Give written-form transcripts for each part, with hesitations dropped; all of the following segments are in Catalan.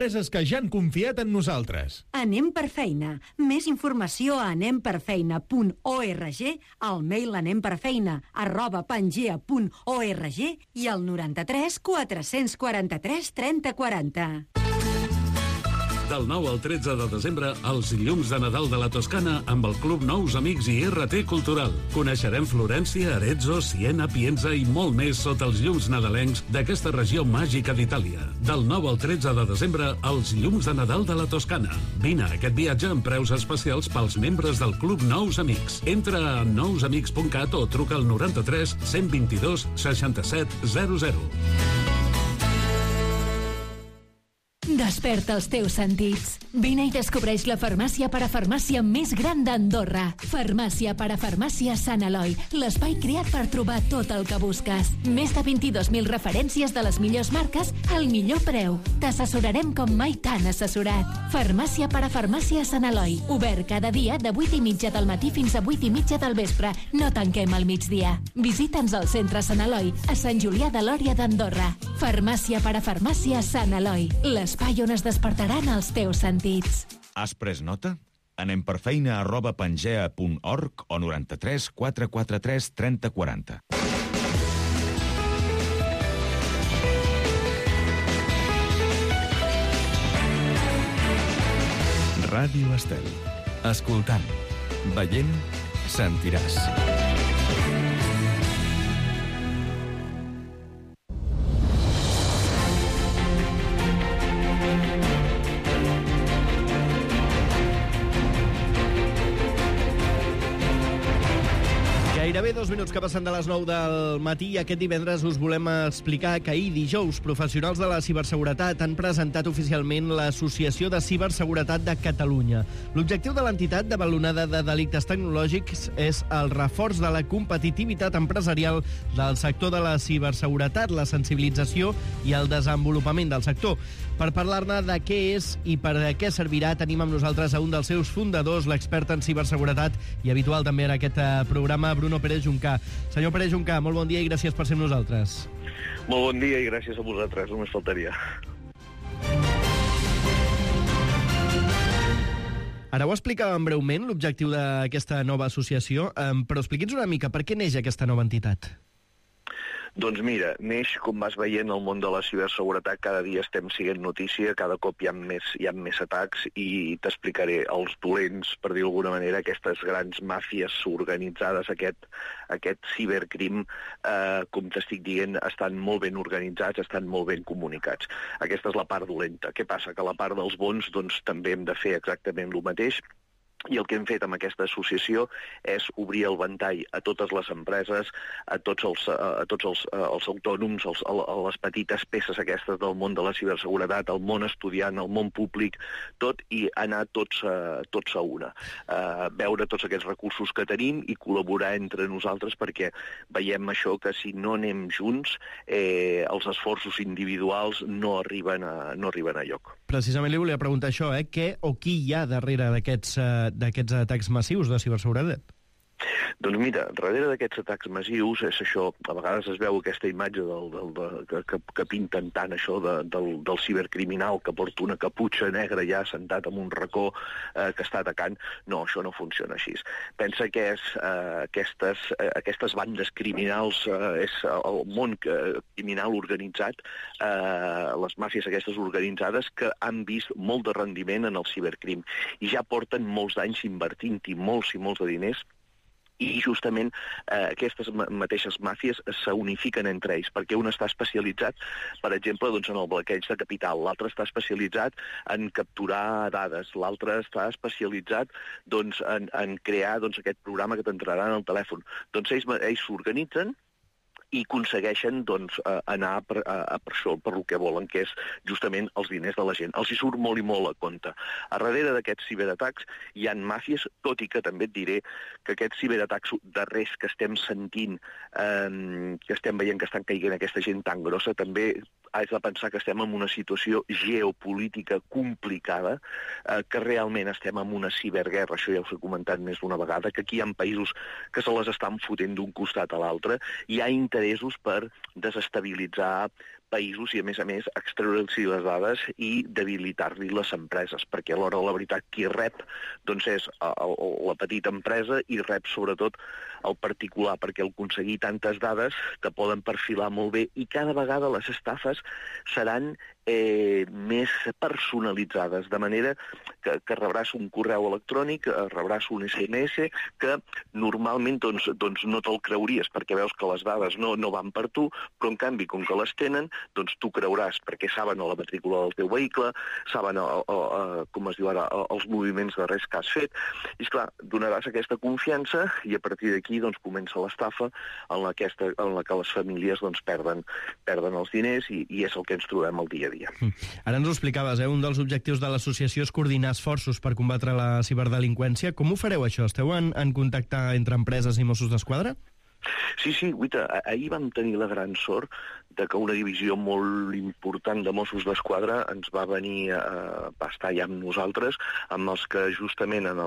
Empreses que ja han confiat en nosaltres. Anem per feina. Més informació a anemperfeina.org, al mail anemperfeina@pangea.org i al 93 443 3040. Del 9 al 13 de desembre, els llums de Nadal de la Toscana amb el Club Nous Amics i RT Cultural. Coneixerem Florència, Arezzo, Siena, Pienza i molt més sota els llums nadalencs d'aquesta regió màgica d'Itàlia. Del 9 al 13 de desembre, els llums de Nadal de la Toscana. Vine a aquest viatge amb preus especials pels membres del Club Nous Amics. Entra a nousamics.cat o truca al 93 122 67 00. Desperta els teus sentits. Vine i descobreix la farmàcia parafarmàcia més gran d'Andorra. Farmàcia parafarmàcia Sant Eloi, l'espai creat per trobar tot el que busques. Més de 22.000 referències de les millors marques al millor preu. T'assessorarem com mai t'han assessorat. Farmàcia parafarmàcia Sant Eloi, obert cada dia de 8:30 del matí fins a 8:30 del vespre. No tanquem al migdia. Visita'ns al centre Sant Eloi, a Sant Julià de Lòria d'Andorra. Farmàcia parafarmàcia Sant Eloi, l'espai on es despertaran els teus sentits. Has pres nota? anemperfeina@pangea.org o 93 443 3040. Ràdio Estel. Escoltant, veient, sentiràs. Gairebé 2 minuts que passen de les 9 del matí i aquest divendres us volem explicar que ahir dijous professionals de la ciberseguretat han presentat oficialment l'Associació de Ciberseguretat de Catalunya. L'objectiu de l'entitat de balonada de delictes tecnològics és el reforç de la competitivitat empresarial del sector de la ciberseguretat, la sensibilització i el desenvolupament del sector. Per parlar-ne de què és i per a què servirà, tenim amb nosaltres a un dels seus fundadors, l'expert en ciberseguretat i habitual també en aquest programa, Bruno Pérez Juncà. Senyor Pérez Juncà, molt bon dia i gràcies per ser amb nosaltres. Molt bon dia i gràcies a vosaltres, només faltaria. Ara ho explicàvem breument, l'objectiu d'aquesta nova associació, però expliqui'ns una mica per què neix aquesta nova entitat. Doncs mira, neix, com vas veient, el món de la ciberseguretat, cada dia estem sent notícia, cada cop hi ha més atacs i t'explicaré els dolents, per dir d'alguna manera, aquestes grans màfies organitzades, aquest cibercrim, com t'estic dient, estan molt ben organitzats, estan molt ben comunicats. Aquesta és la part dolenta. Què passa? Que la part dels bons, doncs, també hem de fer exactament el mateix. I el que hem fet amb aquesta associació és obrir el ventall a totes les empreses, a tots els autònoms, a les petites peces aquestes del món de la ciberseguretat, al món estudiant, al món públic, tot, i anar tots a una. Veure tots aquests recursos que tenim i col·laborar entre nosaltres, perquè veiem això, que si no anem junts, els esforços individuals no arriben a lloc. Precisament li volia preguntar això, què o qui hi ha darrere d'aquests atacs massius de ciberseguretat? Doncs mira, darrere d'aquests atacs massius és això, a vegades es veu aquesta imatge que pinten tant això del cibercriminal que porta una caputxa negra ja sentat en un racó que està atacant. No, això no funciona així. Pensa que és aquestes bandes criminals, és el món criminal organitzat, les màfies aquestes organitzades que han vist molt de rendiment en el cibercrim i ja porten molts anys invertint-hi molts i molts de diners. I justament aquestes mateixes màfies s'unifiquen entre ells, perquè un està especialitzat, per exemple, doncs, en el bloqueig de capital, l'altre està especialitzat en capturar dades, l'altre està especialitzat doncs, en crear aquest programa que t'entrarà en el telèfon. Doncs ells s'organitzen i aconsegueixen anar per això, per el que volen, que és justament els diners de la gent. Els hi surt molt i molt a compte. A darrere d'aquests ciberatacs hi ha màfies, tot i que també et diré que aquests ciberatacs darrers que estem sentint, que estem veient que estan caient aquesta gent tan grossa, també has de pensar que estem en una situació geopolítica complicada, que realment estem en una ciberguerra, això ja us he comentat més d'una vegada, que aquí hi ha països que se les estan fotent d'un costat a l'altre, hi ha interessos per desestabilitzar, països i, a més, extreure-los les dades i debilitar-li les empreses, perquè a l'hora de la veritat qui rep doncs és la petita empresa i rep sobretot el particular, perquè al aconseguir tantes dades te poden perfilar molt bé i cada vegada les estafes seran més personalitzades, de manera que rebràs un correu electrònic, rebràs un SMS que normalment doncs no te'l creuries perquè veus que les dades no van per tu, però en canvi, com que les tenen, doncs tu creuràs perquè saben la matrícula del teu vehicle, saben, com es diu ara, els moviments darrers que has fet, i esclar, donaràs aquesta confiança i a partir d'aquí doncs comença l'estafa en la que les famílies doncs perden els diners i és el que ens trobem el dia a dia. Ara ens ho explicaves, un dels objectius de l'associació és coordinar esforços per combatre la ciberdelinqüència. Com ho fareu, això? Esteu en contacte entre empreses i Mossos d'Esquadra? Sí, guita, ahir vam tenir la gran sort de que una divisió molt important de Mossos d'Esquadra ens va venir a estar allà amb nosaltres, amb els que justament en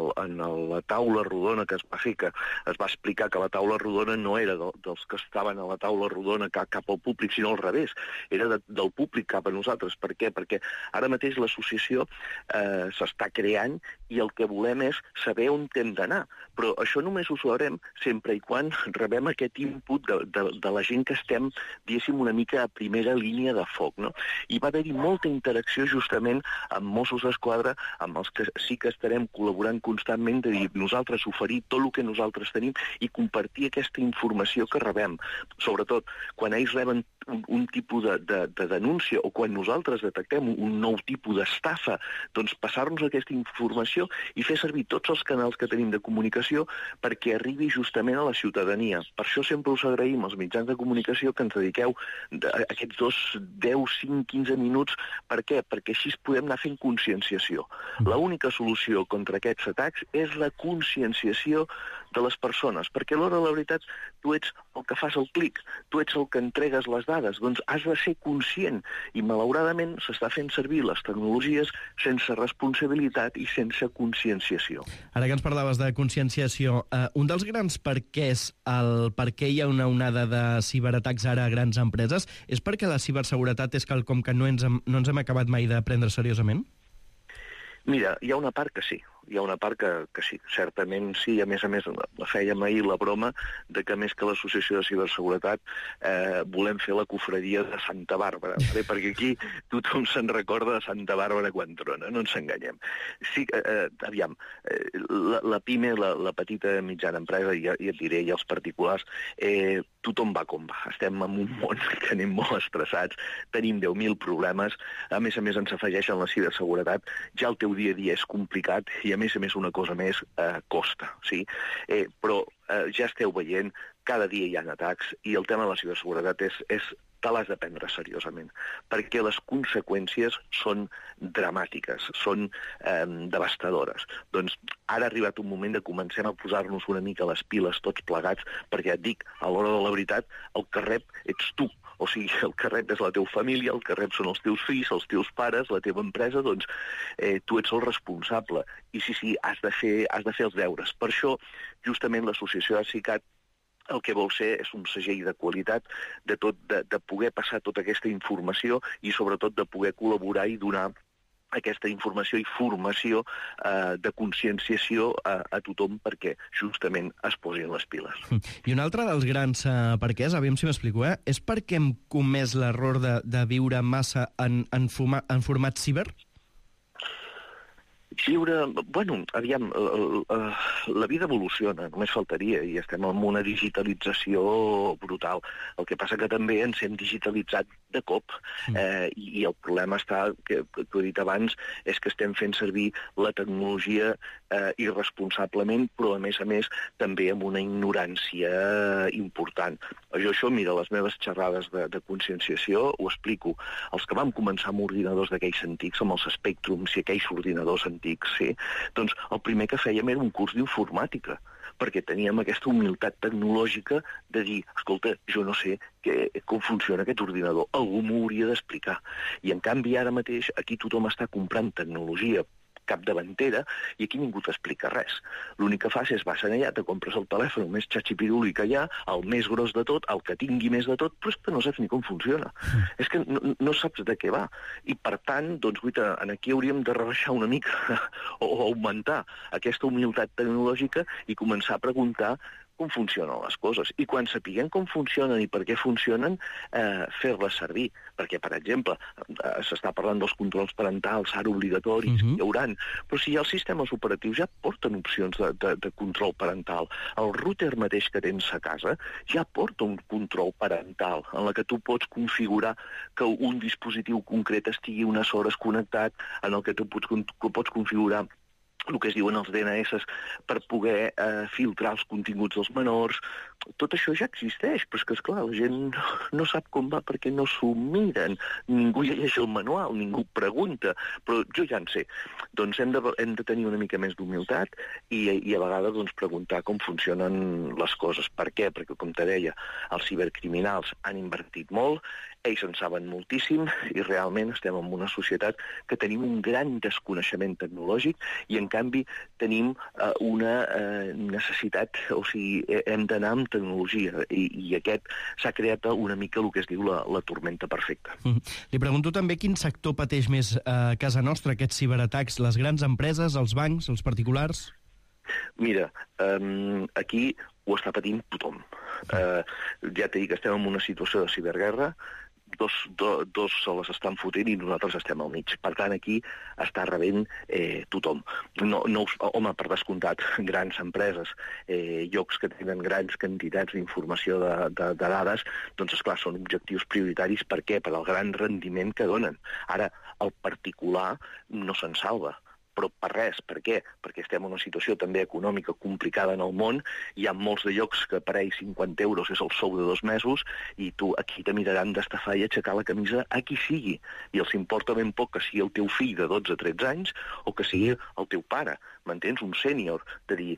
la taula rodona que es va fer, que es va explicar que la taula rodona no era dels que estaven a la taula rodona cap al públic, sinó al revés, era del públic cap a nosaltres. Per què? Perquè ara mateix l'associació s'està creant i el que volem és saber on hem d'anar, però això només ho sabrem sempre i quan rebem aquest input de la gent que estem, diguéssim, una mica a primera línia de foc, no? I va haver-hi molta interacció justament amb Mossos d'Esquadra, amb els que sí que estarem col·laborant constantment, de dir, nosaltres oferir tot el que nosaltres tenim i compartir aquesta informació que rebem. Sobretot, quan ells reben un tipus de denúncia o quan nosaltres detectem un nou tipus d'estafa, doncs passar-nos aquesta informació i fer servir tots els canals que tenim de comunicació perquè arribi justament a la ciutadania. Per això sempre us agraïm als mitjans de comunicació que ens dediqueu aquests 10, 5, 15 minuts. Per què? Perquè així podem anar fent conscienciació. L'única solució contra aquests atacs és la conscienciació de les persones, perquè a l'hora de la veritat tu ets el que fas el clic, tu ets el que entregues les dades, doncs has de ser conscient i malauradament s'està fent servir les tecnologies sense responsabilitat i sense conscienciació. Ara que ens parlaves de conscienciació, un dels grans perquès, el per què hi ha una onada de ciberatacs ara a grans empreses, és perquè la ciberseguretat és quelcom que no ens hem acabat mai de prendre seriosament? Mira, hi ha una part que sí. Hi ha una part que sí, certament sí. A més, fèiem ahir la broma de que més que l'associació de ciberseguretat volem fer la cofradia de Santa Bàrbara, perquè aquí tothom se'n recorda de Santa Bàrbara quan trona, no ens enganyem. Sí, aviam, la PIME, la petita mitjana empresa, i et diré, i els particulars, tothom va com va. Estem en un món que anem molt estressats, tenim 10.000 problemes, a més ens afegeixen la ciberseguretat, ja el teu dia a dia és complicat i a més una cosa més costa, sí? Però ja esteu veient, cada dia hi ha atacs i el tema de la ciberseguretat te l'has de prendre seriosament, perquè les conseqüències són dramàtiques, són devastadores. Doncs ara ha arribat un moment de comencem a posar-nos una mica les piles tots plegats, perquè et dic, a l'hora de la veritat, el que rep ets tu. O sigui, el que rep és la teva família, el que rep són els teus fills, els teus pares, la teva empresa, doncs tu ets el responsable. I sí, has de fer els deures. Per això, justament, l'associació d'ASICAT el que vol ser és un segell de qualitat de poder passar tota aquesta informació i sobretot de poder col·laborar i donar aquesta informació i formació de conscienciació a tothom perquè justament es posin les piles. I un altre dels grans perquès, aviam si m'explico, és perquè hem comès l'error de viure massa en format ciber? Aviam, la vida evoluciona, només faltaria, i estem en una digitalització brutal. El que passa que també ens hem digitalitzat de cop, i el problema està, que t'ho he dit abans, és que estem fent servir la tecnologia irresponsablement, però a més també amb una ignorància important. Això, mira, les meves xerrades de conscienciació ho explico. Els que vam començar amb ordinadors d'aquells antics, amb els Spectrums i aquells ordinadors antics, sí, doncs el primer que fèiem era un curs d'informàtica, perquè teníem aquesta humilitat tecnològica de dir, escolta, jo no sé com funciona aquest ordinador, algú m'ho hauria d'explicar. I en canvi ara mateix aquí tothom està comprant tecnologia capdavantera, i aquí ningú t'explica res. L'únic que fas és vas allà, te compres el telèfon, el més xatxipiruli que hi ha, el més gros de tot, el que tingui més de tot, però és que no saps ni com funciona. És que no saps de què va. I, per tant, doncs, guaita, aquí hauríem de rebaixar una mica o augmentar aquesta humilitat tecnològica i començar a preguntar com funcionen les coses. I quan sapiguem com funcionen i per què funcionen, fer-les servir. Perquè, per exemple, s'està parlant dels controls parentals, ara obligatoris, hi hauran. Però si ja els sistemes operatius ja porten opcions de control parental. El router mateix que tens a casa ja porta un control parental en la que tu pots configurar que un dispositiu concret estigui unes hores connectat, en el que tu pots configurar el que es diuen els DNS per poder filtrar els continguts dels menors. Tot això ja existeix, però és que, esclar, la gent no sap com va perquè no s'ho miren. Ningú llegeix el manual, ningú pregunta, però jo ja en sé. Doncs hem de tenir una mica més d'humilitat i a vegades doncs, preguntar com funcionen les coses. Per què? Perquè, com te deia, els cibercriminals han invertit molt, ells en saben moltíssim i realment estem en una societat que tenim un gran desconeixement tecnològic i, en canvi, tenim una necessitat, o sigui, hem d'anar amb tecnologia i aquest s'ha creat una mica el que es diu la tormenta perfecta. Li pregunto també quin sector pateix més a casa nostra aquests ciberatacs, les grans empreses, els bancs, els particulars? Mira, aquí ho està patint tothom. Ja t'he dit que estem en una situació de ciberguerra, dos se les estan fotent i nosaltres estem al mig. Per tant, aquí està rebent tothom. Home, per descomptat, grans empreses, llocs que tenen grans quantitats d'informació de dades, doncs, esclar, són objectius prioritaris. Per què? Per al gran rendiment que donen. Ara, el particular no se'n salva. Però per res. Per què? Perquè estem en una situació també econòmica complicada en el món, hi ha molts de llocs que per ells 50 euros és el sou de 2 mesos i tu aquí te miraran d'estafar i aixecar la camisa a qui sigui. I els importa ben poc que sigui el teu fill de 12 o 13 anys o que sigui el teu pare. M'entens? Un sènior. De dir,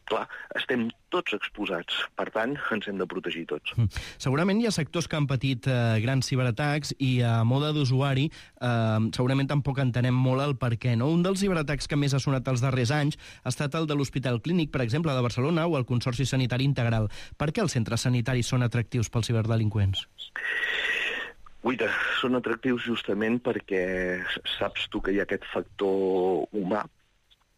clar, estem tots exposats. Per tant, ens hem de protegir tots. Segurament hi ha sectors que han patit grans ciberatacs i a mode d'usuari segurament tampoc entenem molt el per què. No? Un dels ciberatacs que més ha sonat els darrers anys ha estat el de l'Hospital Clínic, per exemple, de Barcelona, o el Consorci Sanitari Integral. Per què els centres sanitaris són atractius pels ciberdelinqüents? Guaita, són atractius justament perquè saps tu que hi ha aquest factor humà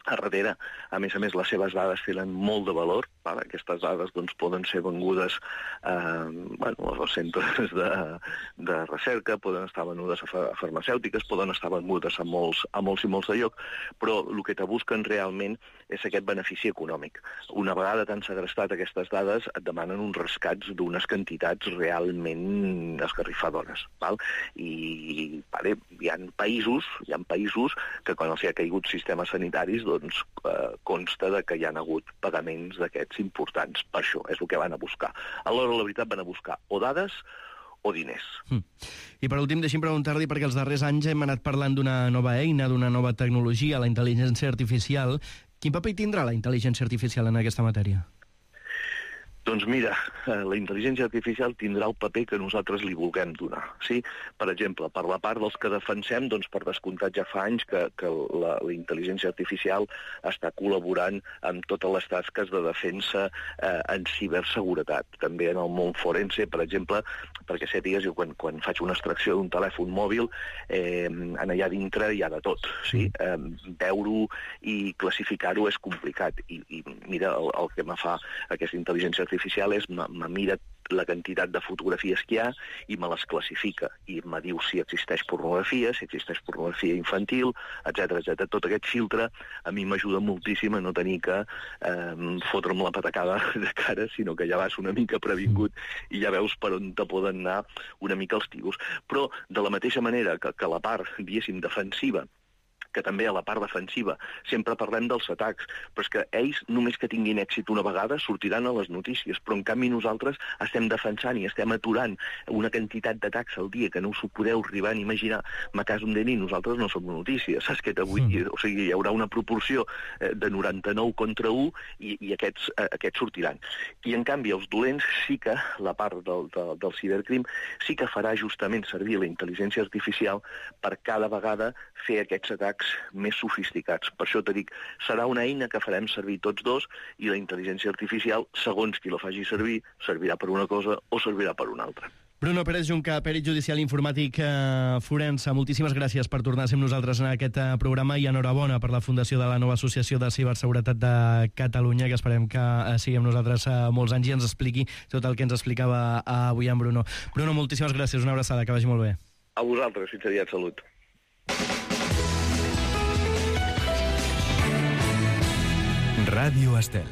a darrere. A més, les seves dades tenen molt de valor. Aquestes dades doncs, poden ser vengudes als centres de recerca, poden estar venudes a farmacèutiques, poden estar vengudes a molts i molts de lloc, però el que te busquen realment és aquest benefici econòmic. Una vegada t'han segrestat aquestes dades, et demanen uns rescats d'unes quantitats realment esgarrifadores. I hi ha països que quan els hi ha caigut sistemes sanitaris doncs consta que hi ha hagut pagaments d'aquests importants. Per això és el que van a buscar. Alhora, la veritat, van a buscar o dades o diners. I per últim, deixi'm preguntar-li, perquè els darrers anys hem anat parlant d'una nova eina, d'una nova tecnologia, la intel·ligència artificial. Quin paper tindrà la intel·ligència artificial en aquesta matèria? Doncs mira, la intel·ligència artificial tindrà el paper que nosaltres li vulguem donar. Sí? Per exemple, per la part dels que defensem, doncs per descomptat ja fa anys que la intel·ligència artificial està col·laborant amb totes les tasques de defensa en ciberseguretat. També en el món forense, per exemple, perquè sàpigues, jo quan faig una extracció d'un telèfon mòbil, allà dintre hi ha de tot. Sí? Veure-ho i classificar-ho és complicat. I mira, el que me fa aquesta intel·ligència artificial és me mira la quantitat de fotografies que hi ha i me les classifica. I me diu si existeix pornografia infantil, etc. Tot aquest filtre a mi m'ajuda moltíssim a no tenir que fotre'm la patacada de cara, sinó que ja vas una mica previngut i ja veus per on te poden anar una mica els tiros. Però de la mateixa manera que la part, diguéssim, defensiva, que també a la part defensiva sempre parlem dels atacs, però és que ells, només que tinguin èxit una vegada, sortiran a les notícies, però en canvi nosaltres estem defensant i estem aturant una quantitat d'atacs al dia que no us ho podeu arribar a imaginar. A cas d'un d'ells, nosaltres no som notícies, saps què t'avui? O sigui, hi haurà una proporció de 99 contra 1 i aquests sortiran. I en canvi els dolents sí que, la part del cibercrim, sí que farà justament servir la intel·ligència artificial per cada vegada fer aquests atacs atacs més sofisticats. Per això t'he dit, serà una eina que farem servir tots dos i la intel·ligència artificial, segons qui la faci servir, servirà per una cosa o servirà per una altra. Bruno Pérez Junca, pèrit judicial informàtic forense, moltíssimes gràcies per tornar a ser amb nosaltres en aquest programa i enhorabona per la fundació de la nova Associació de Ciberseguretat de Catalunya, que esperem que sigui amb nosaltres molts anys i ens expliqui tot el que ens explicava avui en Bruno. Bruno, moltíssimes gràcies, una abraçada, que vagi molt bé. A vosaltres, fins aviat, salut. Ràdio Estel.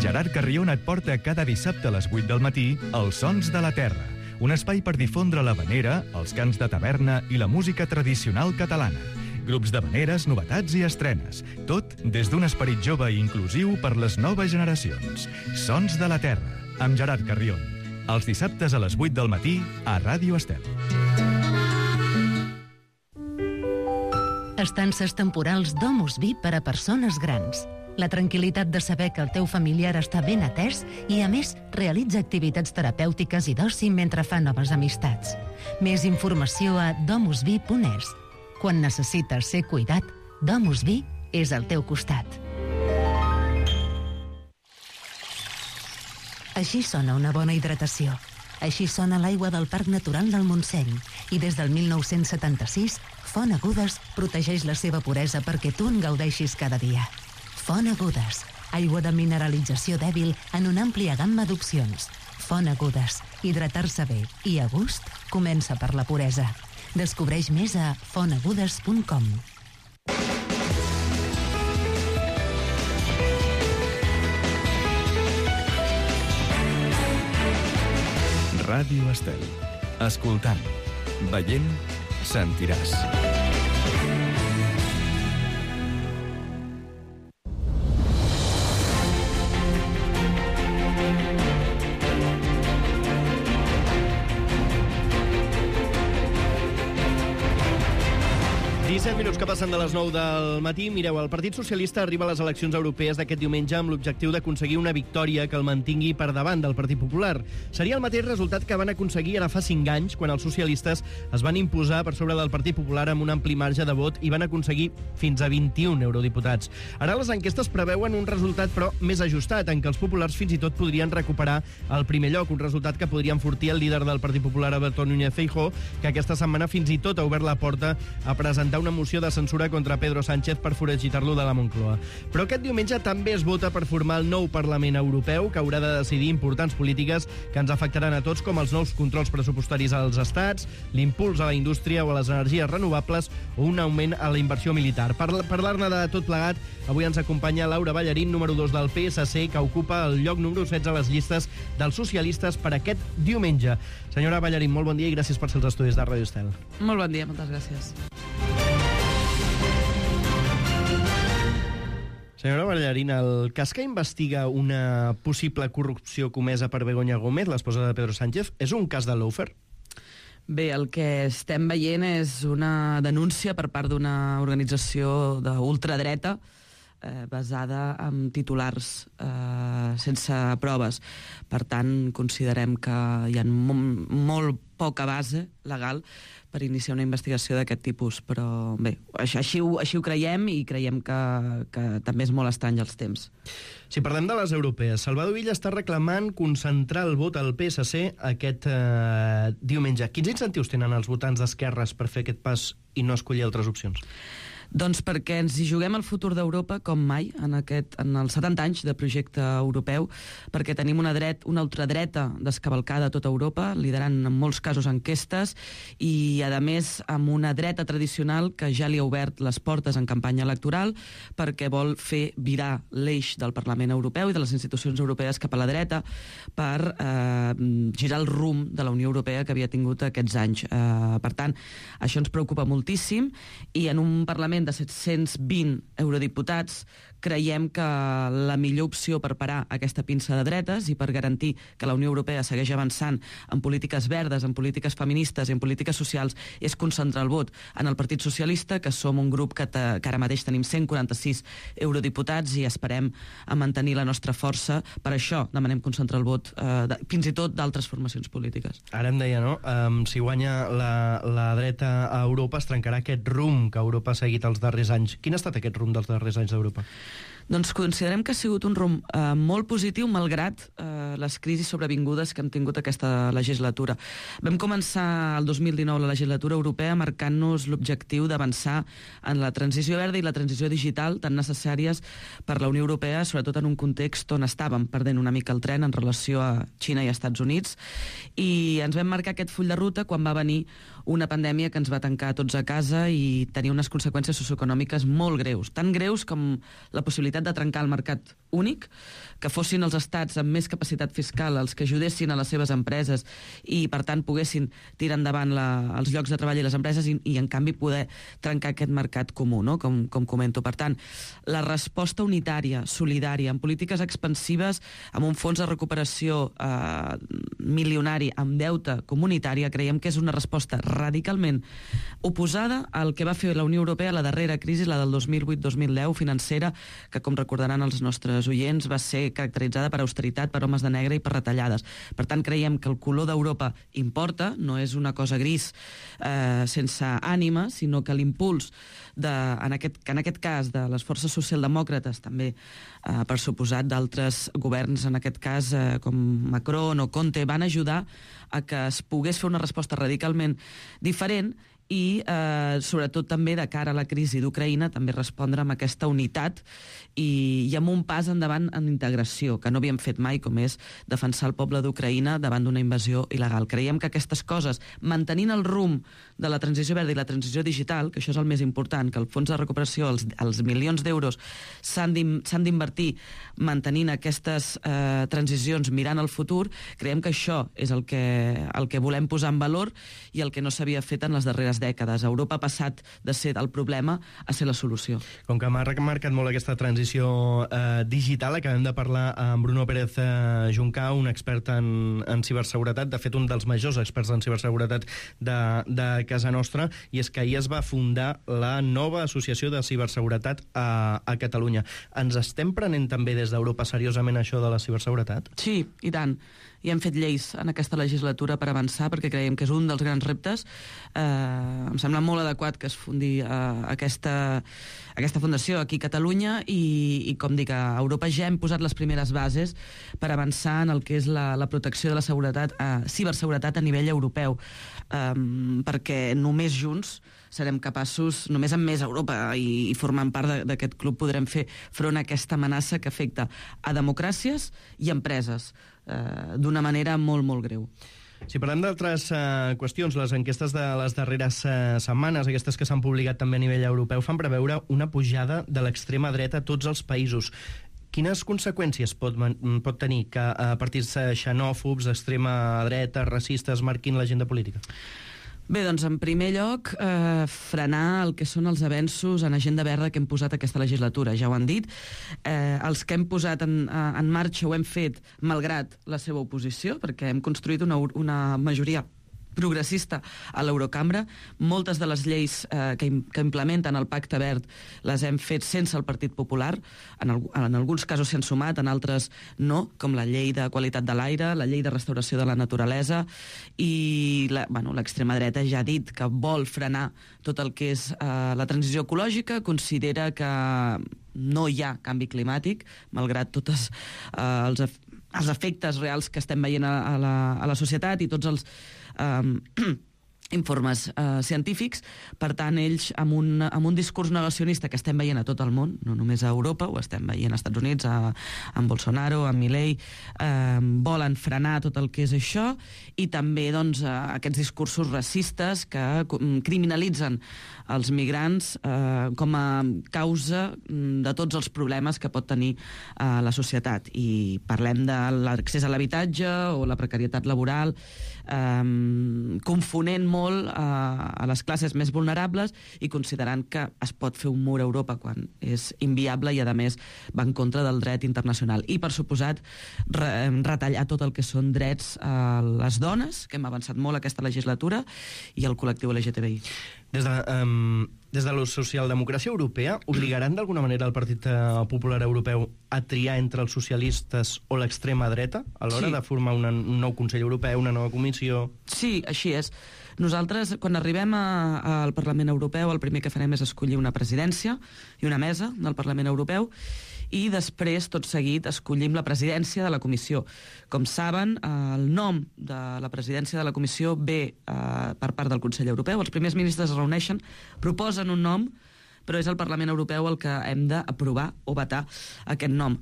Gerard Carrion et porta cada dissabte a les 8 del matí Els Sons de la Terra, un espai per difondre l'havanera, els cants de taverna i la música tradicional catalana. Grups d'havaneres, novetats i estrenes. Tot des d'un esperit jove i inclusiu per les noves generacions. Sons de la Terra, amb Gerard Carrion. Els dissabtes a les 8 del matí a Ràdio Estel. Estances temporals Domus Vi per a persones grans. La tranquil·litat de saber que el teu familiar està ben atès i, a més, realitza activitats terapèutiques i d'oci mentre fa noves amistats. Més informació a domusvi.es. Quan necessites ser cuidat, Domus Vi és al teu costat. Així sona una bona hidratació. Així sona l'aigua del Parc Natural del Montseny. I des del 1976, Font Agudes protegeix la seva puresa perquè tu en gaudeixis cada dia. Font Agudes, aigua de mineralització dèbil en una àmplia gamma d'opcions. Font Agudes, hidratar-se bé i a gust comença per la puresa. Descobreix més a fontagudes.com. Ràdio Estel. Escoltant, veient, sentiràs. Minuts que passen de les 9 del matí. Mireu, el Partit Socialista arriba a les eleccions europees d'aquest diumenge amb l'objectiu d'aconseguir una victòria que el mantingui per davant del Partit Popular. Seria el mateix resultat que van aconseguir ara fa 5 anys, quan els socialistes es van imposar per sobre del Partit Popular amb un ampli marge de vot i van aconseguir fins a 21 eurodiputats. Ara les enquestes preveuen un resultat, però més ajustat, en què els populars fins i tot podrien recuperar el primer lloc, un resultat que podria enfortir el líder del Partit Popular, Alberto Núñez Feijóo, que aquesta setmana fins i tot ha obert la porta a presentar una moció de censura contra Pedro Sánchez per foragitar-lo de la Moncloa. Però aquest diumenge també es vota per formar el nou Parlament Europeu, que haurà de decidir importants polítiques que ens afectaran a tots, com els nous controls pressupostaris als estats, l'impuls a la indústria o a les energies renovables o un augment a la inversió militar. Per parlar-ne de tot plegat, avui ens acompanya Laura Ballarín, número 2 del PSC, que ocupa el lloc número 16 a les llistes dels socialistes per aquest diumenge. Senyora Ballarín, molt bon dia i gràcies per ser als estudis de Ràdio Estel. Molt bon dia, moltes gràcies. Senyora Ballarín, el cas que investiga una possible corrupció comesa per Begoña Gómez, l'esposa de Pedro Sánchez, és un cas de lawfare? Bé, el que estem veient és una denúncia per part d'una organització d'ultradreta basada en titulars sense proves. Per tant, considerem que hi ha molt poca base legal per iniciar una investigació d'aquest tipus, però bé, així ho creiem i creiem que també és molt estrany els temps. Si parlem de les europees, Salvador Illa està reclamant concentrar el vot al PSC aquest diumenge. Quins incentius tenen els votants d'esquerres per fer aquest pas i no escollir altres opcions? Doncs perquè ens hi juguem el futur d'Europa com mai en els 70 anys de projecte europeu, perquè tenim una ultradreta descavalcada a tota Europa, liderant en molts casos enquestes, i a més amb una dreta tradicional que ja li ha obert les portes en campanya electoral perquè vol fer virar l'eix del Parlament Europeu i de les institucions europees cap a la dreta per girar el rumb de la Unió Europea que havia tingut aquests anys. Per tant, això ens preocupa moltíssim, i en un Parlament Parlament de 720 eurodiputats, creiem que la millor opció per parar aquesta pinça de dretes i per garantir que la Unió Europea segueix avançant en polítiques verdes, en polítiques feministes i en polítiques socials és concentrar el vot en el Partit Socialista, que som un grup que ara mateix tenim 146 eurodiputats i esperem a mantenir la nostra força. Per això demanem concentrar el vot fins i tot d'altres formacions polítiques. Ara em deia, no? Si guanya la dreta a Europa es trencarà aquest rumb que Europa ha seguit els darrers anys. Quin ha estat aquest rumb dels darrers anys d'Europa? Doncs considerem que ha sigut un rumb molt positiu, malgrat les crisis sobrevingudes que hem tingut aquesta legislatura. Vam començar el 2019 la legislatura europea marcant-nos l'objectiu d'avançar en la transició verda i la transició digital tan necessàries per la Unió Europea, sobretot en un context on estàvem perdent una mica el tren en relació a Xina i Estats Units, i ens vam marcar aquest full de ruta quan va venir una pandèmia que ens va tancar tots a casa i tenia unes conseqüències socioeconòmiques molt greus, tan greus com la possibilitat de trencar el mercat únic, que fossin els estats amb més capacitat fiscal els que ajudessin a les seves empreses i, per tant, poguessin tirar endavant els llocs de treball i les empreses i en canvi, poder trencar aquest mercat comú, no? com comento. Per tant, la resposta unitària, solidària, amb polítiques expansives, amb un fons de recuperació milionari, amb deute comunitària, creiem que és una resposta radicalment oposada al que va fer la Unió Europea a la darrera crisi, la del 2008-2010 financera, que, com recordaran els nostres oients, va ser caracteritzada per austeritat, per homes de negre i per retallades. Per tant, creiem que el color d'Europa importa, no és una cosa gris sense ànima, sinó que l'impuls, en aquest cas, de les forces socialdemòcrates, també, per suposat, d'altres governs, en aquest cas, com Macron o Conte, van ajudar a que es pogués fer una resposta radicalment diferent i, sobretot, també de cara a la crisi d'Ucraïna, també respondre amb aquesta unitat i amb un pas endavant en integració, que no havíem fet mai, com és defensar el poble d'Ucraïna davant d'una invasió il·legal. Creiem que aquestes coses, mantenint el rumb de la transició verda i la transició digital, que això és el més important, que el fons de recuperació, els milions d'euros s'han d'invertir mantenint aquestes transicions mirant al futur, creiem que això és el que volem posar en valor i el que no s'havia fet en les darreres dècades. Europa ha passat de ser el problema a ser la solució. Com que m'ha remarcat molt aquesta transició digital, acabem de parlar amb Bruno Pérez Juncà, un expert en ciberseguretat, de fet un dels majors experts en ciberseguretat de casa nostra, i és que ahir es va fundar la nova associació de ciberseguretat a Catalunya. Ens estem prenent també des d'Europa seriosament això de la ciberseguretat? Sí, i tant. I hem fet lleis en aquesta legislatura per avançar, perquè creiem que és un dels grans reptes. Em sembla molt adequat que es fundi aquesta fundació aquí a Catalunya i, com dic, a Europa ja hem posat les primeres bases per avançar en el que és la protecció de la seguretat, ciberseguretat a nivell europeu, perquè només junts serem capaços, només amb més Europa i formant part d'aquest club, podrem fer front a aquesta amenaça que afecta a democràcies i empreses d'una manera molt, molt greu. Si parlem d'altres qüestions, les enquestes de les darreres setmanes, aquestes que s'han publicat també a nivell europeu, fan preveure una pujada de l'extrema dreta a tots els països. Quines conseqüències pot tenir que partits xenòfobs, d'extrema dreta, racistes, marquin l'agenda política? Bé, doncs, en primer lloc, frenar el que són els avenços en agenda verda que hem posat aquesta legislatura. Ja ho han dit. Els que hem posat en marxa ho hem fet malgrat la seva oposició, perquè hem construït una majoria progressista a l'Eurocambra. Moltes de les lleis que implementen el Pacte Verd les hem fet sense el Partit Popular. En alguns casos s'hi han sumat, en altres no, com la llei de qualitat de l'aire, la llei de restauració de la naturalesa, i l'extrema dreta ja ha dit que vol frenar tot el que és la transició ecològica, considera que no hi ha canvi climàtic, malgrat tots els efectes reals que estem veient a la societat i tots els informes científics. Per tant, ells, amb un discurs negacionista que estem veient a tot el món, no només a Europa, ho estem veient als Estats Units, amb Bolsonaro, amb Milei, volen frenar tot el que és això, i també aquests discursos racistes que criminalitzen els migrants com a causa de tots els problemes que pot tenir la societat. I parlem de l'accés a l'habitatge o la precarietat laboral, confonent molt molt a les classes més vulnerables i considerant que es pot fer un mur a Europa quan és inviable i, a més, va en contra del dret internacional. I, per suposat, retallar tot el que són drets a les dones, que hem avançat molt aquesta legislatura, i el col·lectiu LGTBI. Des de la socialdemocràcia europea, obligaran d'alguna manera el Partit Popular Europeu a triar entre els socialistes o l'extrema dreta a l'hora de formar un nou Consell Europeu, una nova comissió? Sí, així és. Nosaltres, quan arribem al Parlament Europeu, el primer que farem és escollir una presidència i una mesa del Parlament Europeu, i després, tot seguit, escollim la presidència de la comissió. Com saben, el nom de la presidència de la comissió ve per part del Consell Europeu. Els primers ministres es reuneixen, proposen un nom, però és el Parlament Europeu el que hem d'aprovar o vetar aquest nom.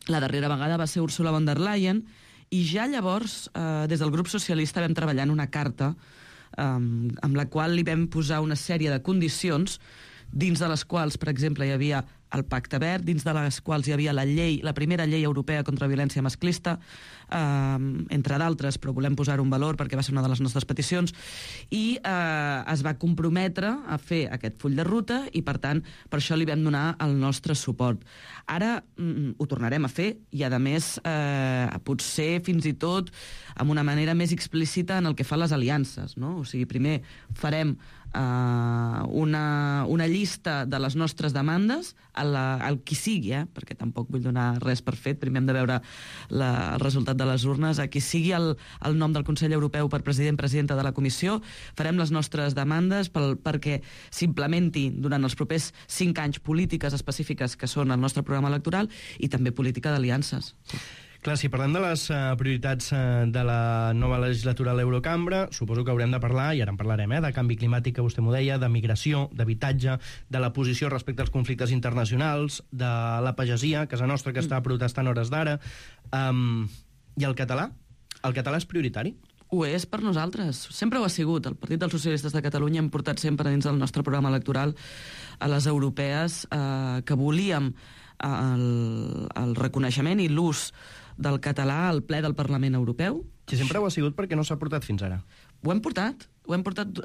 La darrera vegada va ser Ursula von der Leyen, i ja llavors, des del grup socialista, vam treballar en una carta amb la qual li vam posar una sèrie de condicions, dins de les quals, per exemple, hi havia el Pacte Verd, dins de les quals hi havia la primera llei europea contra violència masclista, entre d'altres, però volem posar-ho en valor perquè va ser una de les nostres peticions, i es va comprometre a fer aquest full de ruta i, per tant, per això li vam donar el nostre suport. Ara ho tornarem a fer i, a més, potser fins i tot amb una manera més explícita en el que fa les aliances, no? O sigui, primer farem una llista de les nostres demandes al qui sigui, perquè tampoc vull donar res per fet, primer hem de veure el resultat de les urnes, a qui sigui el nom del Consell Europeu per presidenta de la Comissió, farem les nostres demandes perquè s'implementi durant els propers 5 anys polítiques específiques que són el nostre programa electoral i també política d'aliances. Clar, si parlem de les prioritats de la nova legislatura a l'Eurocambra, suposo que haurem de parlar, i ara en parlarem, de canvi climàtic, que vostè m'ho deia, de migració, d'habitatge, de la posició respecte als conflictes internacionals, de la pagesia, casa nostra, que està protestant hores d'ara. I el català? El català és prioritari? Ho és per nosaltres. Sempre ho ha sigut. El Partit dels Socialistes de Catalunya hem portat sempre dins del nostre programa electoral a les europees que volíem el reconeixement i l'ús del català al ple del Parlament Europeu. Si sempre ho ha sigut, perquè no s'ha portat fins ara? Ho hem portat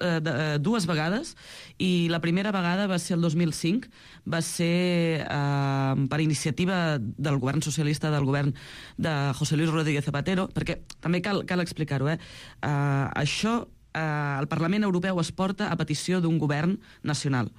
2 vegades, i la primera vegada va ser el 2005, va ser per iniciativa del govern socialista, del govern de José Luis Rodríguez Zapatero, perquè també cal explicar-ho, això, el Parlament Europeu es porta a petició d'un govern nacional.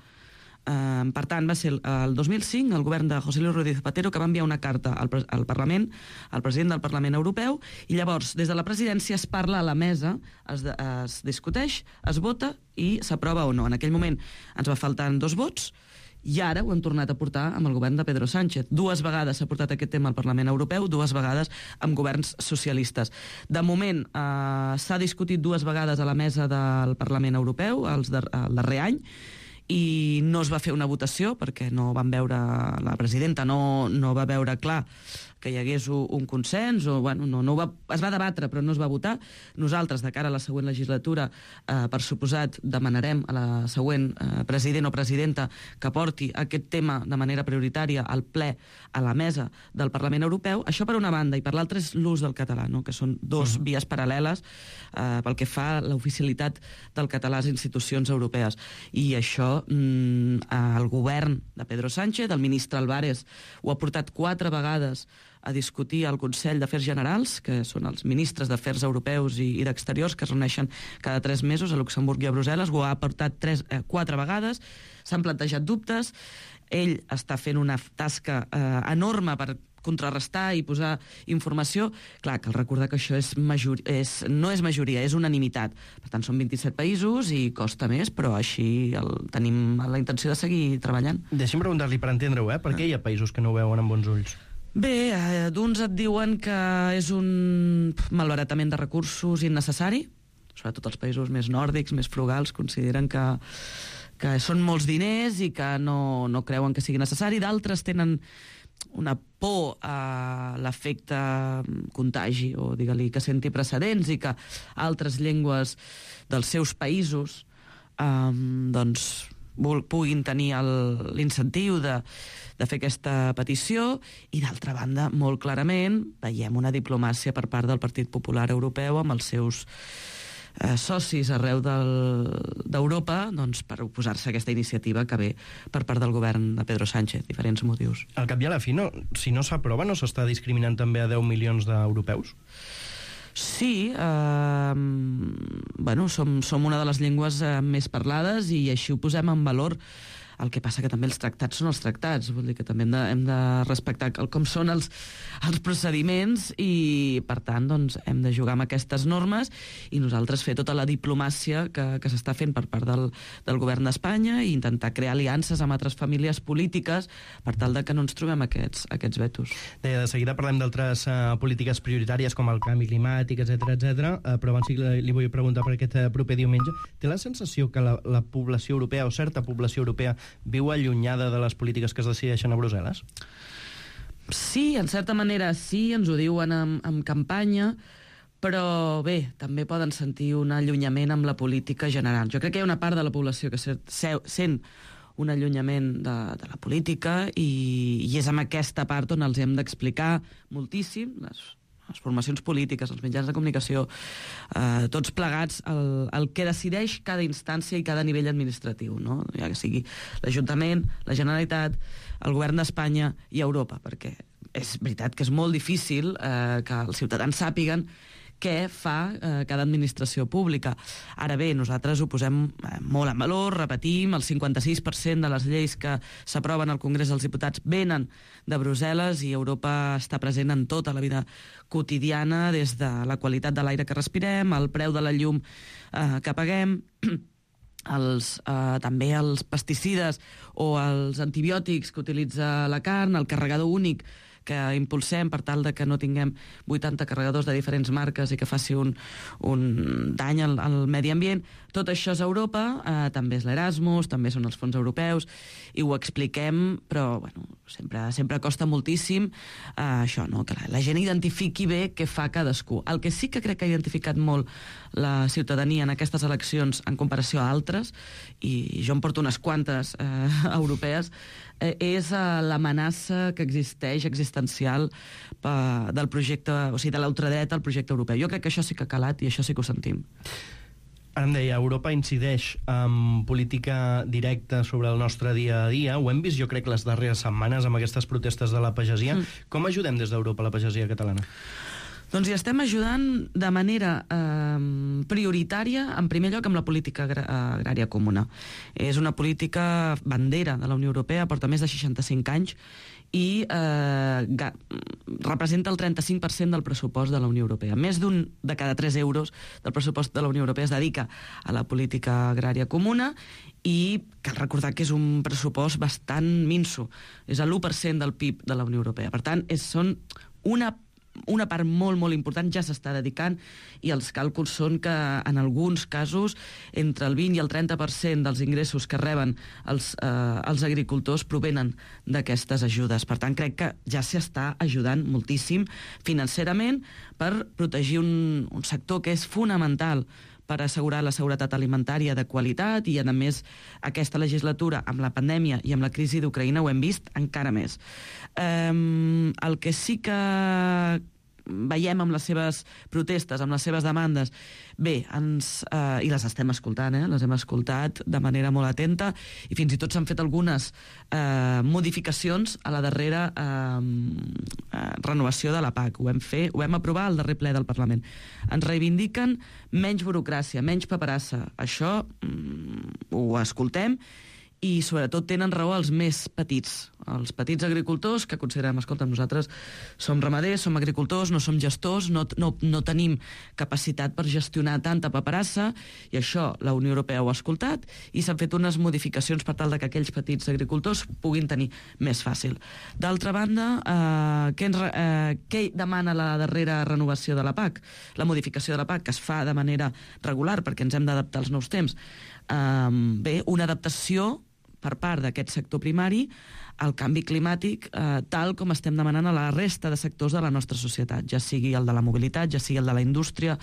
Per tant, va ser el 2005 el govern de José Luis Rodríguez Zapatero que va enviar una carta al Parlament, al president del Parlament Europeu, i llavors des de la presidència es parla a la mesa, es discuteix, es vota i s'aprova o no. En aquell moment ens va faltant 2 vots, i ara ho hem tornat a portar amb el govern de Pedro Sánchez. 2 vegades s'ha portat aquest tema al Parlament Europeu, 2 vegades amb governs socialistes. De moment s'ha discutit 2 vegades a la mesa del Parlament Europeu, el darrer any, i no es va fer una votació perquè no van veure, la presidenta no va veure clar que hi hagués un consens, o bueno, es va debatre però no es va votar. Nosaltres, de cara a la següent legislatura, per suposat, demanarem a la següent president o presidenta que porti aquest tema de manera prioritària al ple, a la mesa del Parlament Europeu. Això per una banda, i per l'altra és l'ús del català, no? Que són 2 vies paral·leles pel que fa a l'oficialitat del català a les institucions europees. I això el govern de Pedro Sánchez, el ministre Álvarez, ho ha portat 4 vegades a discutir al Consell d'Afers Generals, que són els ministres d'Afers Europeus i d'Exteriors, que es reuneixen cada 3 mesos a Luxemburg i a Brussel·les. Ho ha portat 4 vegades, s'han plantejat dubtes, ell està fent una tasca enorme per contrarrestar i posar informació. Clar, cal recordar que això no és majoria, és unanimitat. Per tant, són 27 països i costa més, però així tenim la intenció de seguir treballant. Deixi'm preguntar-li per entendre-ho, per què hi ha països que no ho veuen amb bons ulls? Bé, d'uns et diuen que és un malbaratament de recursos innecessari, sobretot els països més nòrdics, més frugals, consideren que són molts diners i que no creuen que sigui necessari. D'altres tenen una por a l'efecte contagi, o digue-li que senti precedents, i que altres llengües dels seus països puguin tenir l'incentiu de fer aquesta petició. I d'altra banda, molt clarament, veiem una diplomàcia per part del Partit Popular Europeu amb els seus socis arreu d'Europa doncs, per oposar-se a aquesta iniciativa que ve per part del govern de Pedro Sánchez, diferents motius. Al cap i a la fi, si no s'aprova, no s'està discriminant també a 10 milions d'europeus? Sí, som una de les llengües més parlades i així ho posem en valor. El que passa que també els tractats són els tractats, vull dir que també hem de respectar com són els procediments i, per tant, doncs, hem de jugar amb aquestes normes i nosaltres fer tota la diplomàcia que s'està fent per part del govern d'Espanya i intentar crear aliances amb altres famílies polítiques per tal de que no ens trobem aquests vetos. De seguida parlem d'altres polítiques prioritàries com el canvi climàtic, etc, però abans li vull preguntar per aquest proper diumenge. Té la sensació que la població europea o certa població europea viu allunyada de les polítiques que es decideixen a Brussel·les? Sí, en certa manera sí, ens ho diuen en campanya, però bé, també poden sentir un allunyament amb la política general. Jo crec que hi ha una part de la població que sent un allunyament de la política i és amb aquesta part on els hem d'explicar moltíssim, les formacions polítiques, els mitjans de comunicació, tots plegats, el que decideix cada instància i cada nivell administratiu, no? Ja que sigui l'Ajuntament, la Generalitat, el govern d'Espanya i Europa, perquè és veritat que és molt difícil que els ciutadans sàpiguen què fa cada administració pública. Ara bé, nosaltres ho posem molt en valor, repetim, el 56% de les lleis que s'aproven al Congrés dels Diputats venen de Brussel·les i Europa està present en tota la vida quotidiana, des de la qualitat de l'aire que respirem, el preu de la llum que paguem, també els pesticides o els antibiòtics que utilitza la carn, el carregador únic que impulsem per tal de que no tinguem 80 carregadors de diferents marques i que faci un dany al medi ambient. Tot això és Europa, també és l'Erasmus, també són els fons europeus, i ho expliquem, però bueno, sempre costa moltíssim això, no? Que la gent identifiqui bé què fa cadascú. El que sí que crec que ha identificat molt la ciutadania en aquestes eleccions en comparació a altres, i jo em porto unes quantes europees, és l'amenaça que existencial del projecte, o sigui, de l'ultradreta al projecte europeu. Jo crec que això sí que ha calat i això sí que ho sentim. Ara em deia, Europa incideix en política directa sobre el nostre dia a dia. Ho hem vist, jo crec, les darreres setmanes amb aquestes protestes de la pagesia. Com ajudem des d'Europa la pagesia catalana? Doncs hi estem ajudant de manera prioritària, en primer lloc, amb la política agrària comuna. És una política bandera de la Unió Europea, porta més de 65 anys, i representa el 35% del pressupost de la Unió Europea. Més d'un de cada 3 euros del pressupost de la Unió Europea es dedica a la política agrària comuna, i cal recordar que és un pressupost bastant minso. És l'1% del PIB de la Unió Europea. Per tant, són una part molt, molt important ja s'està dedicant, i els càlculs són que en alguns casos entre el 20 i el 30% dels ingressos que reben els agricultors provenen d'aquestes ajudes. Per tant, crec que ja s'està ajudant moltíssim financerament per protegir un sector que és fonamental per assegurar la seguretat alimentària de qualitat, i, a més, aquesta legislatura, amb la pandèmia i amb la crisi d'Ucraïna, ho hem vist encara més. El que sí que veiem amb les seves protestes, amb les seves demandes, bé, i les estem escoltant, les hem escoltat de manera molt atenta, i fins i tot s'han fet algunes modificacions a la darrera renovació de la PAC. Ho vam aprovar al darrer ple del Parlament. Ens reivindiquen menys burocràcia, menys paperassa. Això ho escoltem, i sobretot tenen raó els més petits agricultors, que considerem, escolta, nosaltres som ramaders, som agricultors, no som gestors, no tenim capacitat per gestionar tanta paperassa, i això la Unió Europea ho ha escoltat, i s'han fet unes modificacions per tal que aquells petits agricultors puguin tenir més fàcil. D'altra banda, què demana la darrera renovació de la PAC? La modificació de la PAC, que es fa de manera regular perquè ens hem d'adaptar als nous temps. Bé, una adaptació per part d'aquest sector primari al canvi climàtic, tal com estem demanant a la resta de sectors de la nostra societat, ja sigui el de la mobilitat, ja sigui el de la indústria,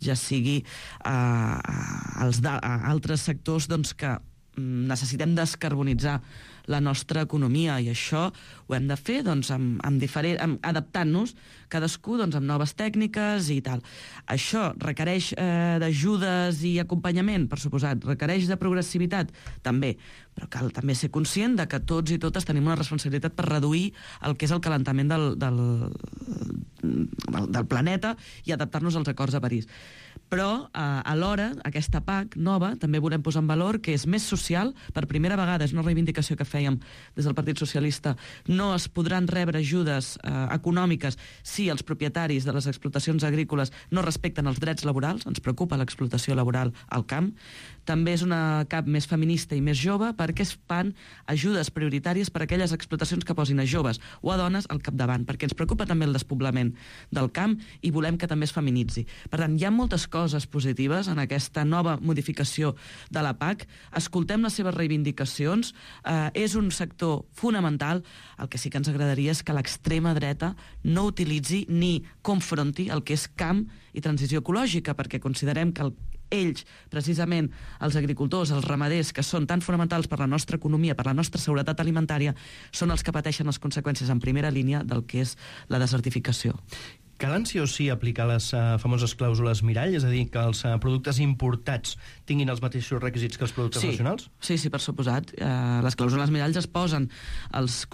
ja sigui altres sectors que necessitem descarbonitzar la nostra economia, i això ho hem de fer doncs, adaptant-nos cadascú doncs, amb noves tècniques i tal. Això requereix d'ajudes i acompanyament, per suposat, requereix de progressivitat, també, però cal també ser conscient de que tots i totes tenim una responsabilitat per reduir el que és el calentament del planeta i adaptar-nos als acords de París. Però, alhora, aquesta PAC nova també volem posar en valor que és més social. Per primera vegada, és una reivindicació que fèiem des del Partit Socialista, no es podran rebre ajudes econòmiques si els propietaris de les explotacions agrícoles no respecten els drets laborals. Ens preocupa l'explotació laboral al camp. També és una CAP més feminista i més jove perquè es fan ajudes prioritàries per a aquelles explotacions que posin a joves o a dones al capdavant, perquè ens preocupa també el despoblament del camp i volem que també es feminitzi. Per tant, hi ha moltes coses positives en aquesta nova modificació de la PAC. Escoltem les seves reivindicacions. És un sector fonamental. El que sí que ens agradaria és que l'extrema dreta no utilitzi ni confronti el que és camp i transició ecològica, perquè considerem que ells, precisament els agricultors, els ramaders, que són tan fonamentals per la nostra economia, per la nostra seguretat alimentària, són els que pateixen les conseqüències en primera línia del que és la desertificació. Calen sí o sí aplicar les famoses clàusules mirall, és a dir, que els productes importats tinguin els mateixos requisits que els productes nacionals? Sí, per suposat. Les clàusules miralls es posen als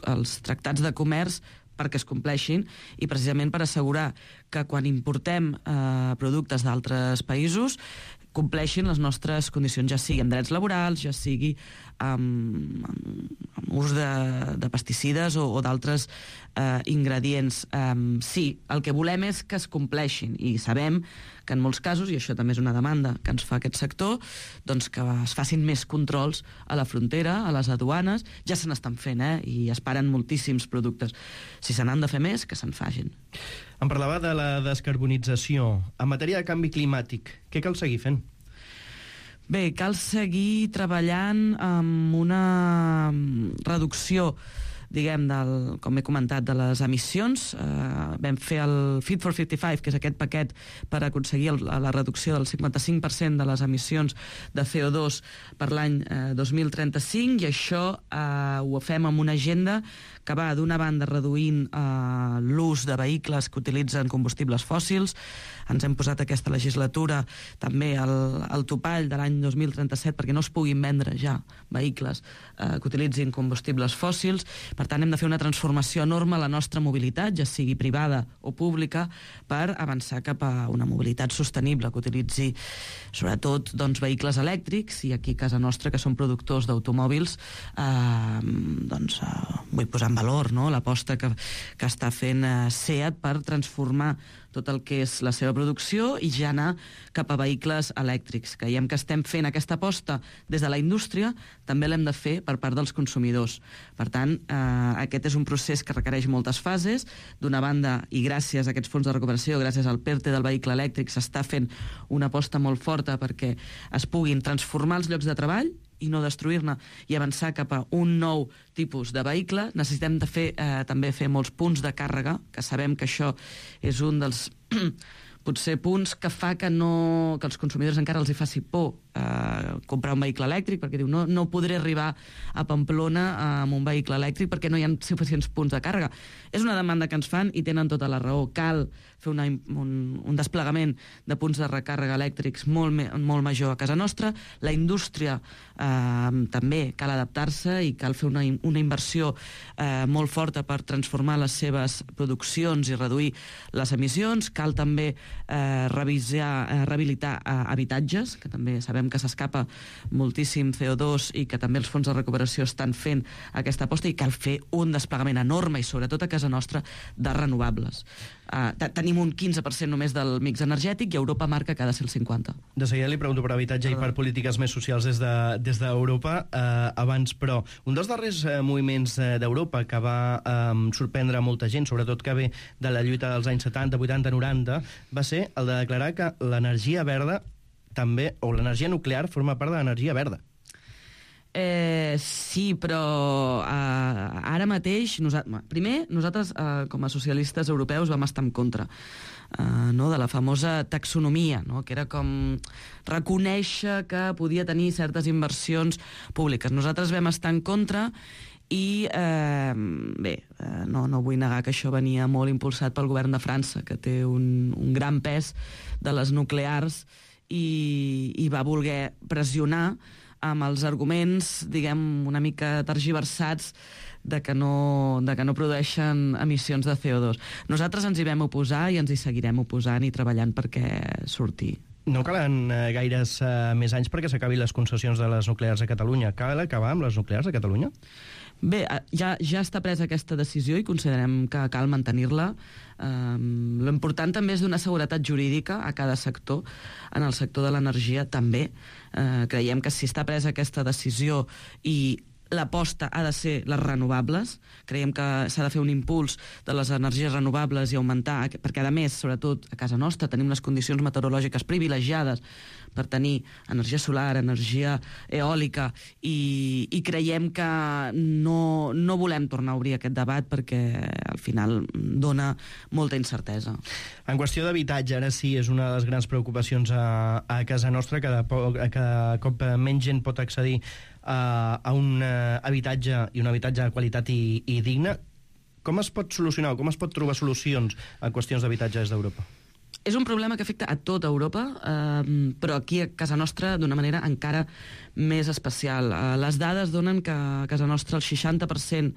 tractats de comerç perquè es compleixin i precisament per assegurar que quan importem productes d'altres països compleixin les nostres condicions, ja sigui amb drets laborals, ja sigui amb ús de pesticides o d'altres ingredients. Sí, el que volem és que es compleixin i sabem que en molts casos, i això també és una demanda que ens fa aquest sector, doncs que es facin més controls a la frontera, a les aduanes. Ja se n'estan fent, i es paren moltíssims productes. Si se n'han de fer més, que se'n facin. Em parlava de la descarbonització. En matèria de canvi climàtic, què cal seguir fent? Bé, cal seguir treballant amb una reducció, diguem, com he comentat, de les emissions. Vam fer el Fit for 55, que és aquest paquet per aconseguir la reducció del 55% de les emissions de CO2 per l'any 2035, i això ho fem amb una agenda que va, d'una banda, reduint l'ús de vehicles que utilitzen combustibles fòssils. Ens hem posat aquesta legislatura també el topall de l'any 2037 perquè no es puguin vendre ja vehicles que utilitzin combustibles fòssils. Per tant, hem de fer una transformació enorme a la nostra mobilitat, ja sigui privada o pública, per avançar cap a una mobilitat sostenible que utilitzi sobretot vehicles elèctrics, i aquí a casa nostra, que som productors d'automòbils, vull posar en valor l'aposta que està fent SEAT per transformar tot el que és la seva producció i ja anar cap a vehicles elèctrics. Creiem que estem fent aquesta aposta des de la indústria, també l'hem de fer per part dels consumidors. Per tant, aquest és un procés que requereix moltes fases. D'una banda, i gràcies a aquests fons de recuperació, gràcies al PERTE del vehicle elèctric, s'està fent una aposta molt forta perquè es puguin transformar els llocs de treball i no destruir-ne, i avançar cap a un nou tipus de vehicle. Necessitem també fer molts punts de càrrega, que sabem que això és un dels potser punts que fa que els consumidors encara els hi faci por comprar un vehicle elèctric, perquè diu no podré arribar a Pamplona amb un vehicle elèctric perquè no hi ha suficients punts de càrrega. És una demanda que ens fan i tenen tota la raó. Cal fer un desplegament de punts de recàrrega elèctrics molt major a casa nostra. La indústria també cal adaptar-se i cal fer una inversió molt forta per transformar les seves produccions i reduir les emissions. Cal també rehabilitar habitatges, que també sabem que s'escapa moltíssim CO2 i que també els fons de recuperació estan fent aquesta aposta, i cal fer un desplegament enorme, i sobretot a casa nostra, de renovables. Tenim un 15% només del mix energètic i Europa marca que ha de ser el 50%. De seguida li pregunto per habitatge i per polítiques més socials des d'Europa. Abans, però, un dels darrers moviments d'Europa que va sorprendre molta gent, sobretot que ve de la lluita dels anys 70, 80, 90, va ser el de declarar que l'energia verda també, o l'energia nuclear, forma part de l'energia verda. Sí, però ara mateix, nosaltres com a socialistes europeus vam estar en contra de la famosa taxonomia, que era com reconèixer que podia tenir certes inversions públiques. Nosaltres vam estar en contra i no vull negar que això venia molt impulsat pel govern de França, que té un gran pes de les nuclears i va voler pressionar amb els arguments, diguem, una mica tergiversats de que no produeixen emissions de CO2. Nosaltres ens hi vam oposar i ens hi seguirem oposant i treballant perquè surti. No calen gaires més anys perquè s'acabin les concessions de les nuclears a Catalunya. Cal acabar amb les nuclears a Catalunya? Bé, ja està presa aquesta decisió i considerem que cal mantenir-la. L'important també és donar seguretat jurídica a cada sector. En el sector de l'energia també. Creiem que si està presa aquesta decisió i l'aposta ha de ser les renovables, creiem que s'ha de fer un impuls de les energies renovables i augmentar, perquè a més, sobretot a casa nostra, tenim unes condicions meteorològiques privilegiades per tenir energia solar, energia eòlica, i creiem que no volem tornar a obrir aquest debat perquè al final dona molta incertesa. En qüestió d'habitatge, ara sí, és una de les grans preocupacions a casa nostra, cada cop menys gent pot accedir a un habitatge i un habitatge de qualitat i digne. Com es pot solucionar o com es pot trobar solucions a qüestions d'habitatge des d'Europa? És un problema que afecta a tota Europa, però aquí a casa nostra d'una manera encara més especial. Les dades donen que a casa nostra el 60%,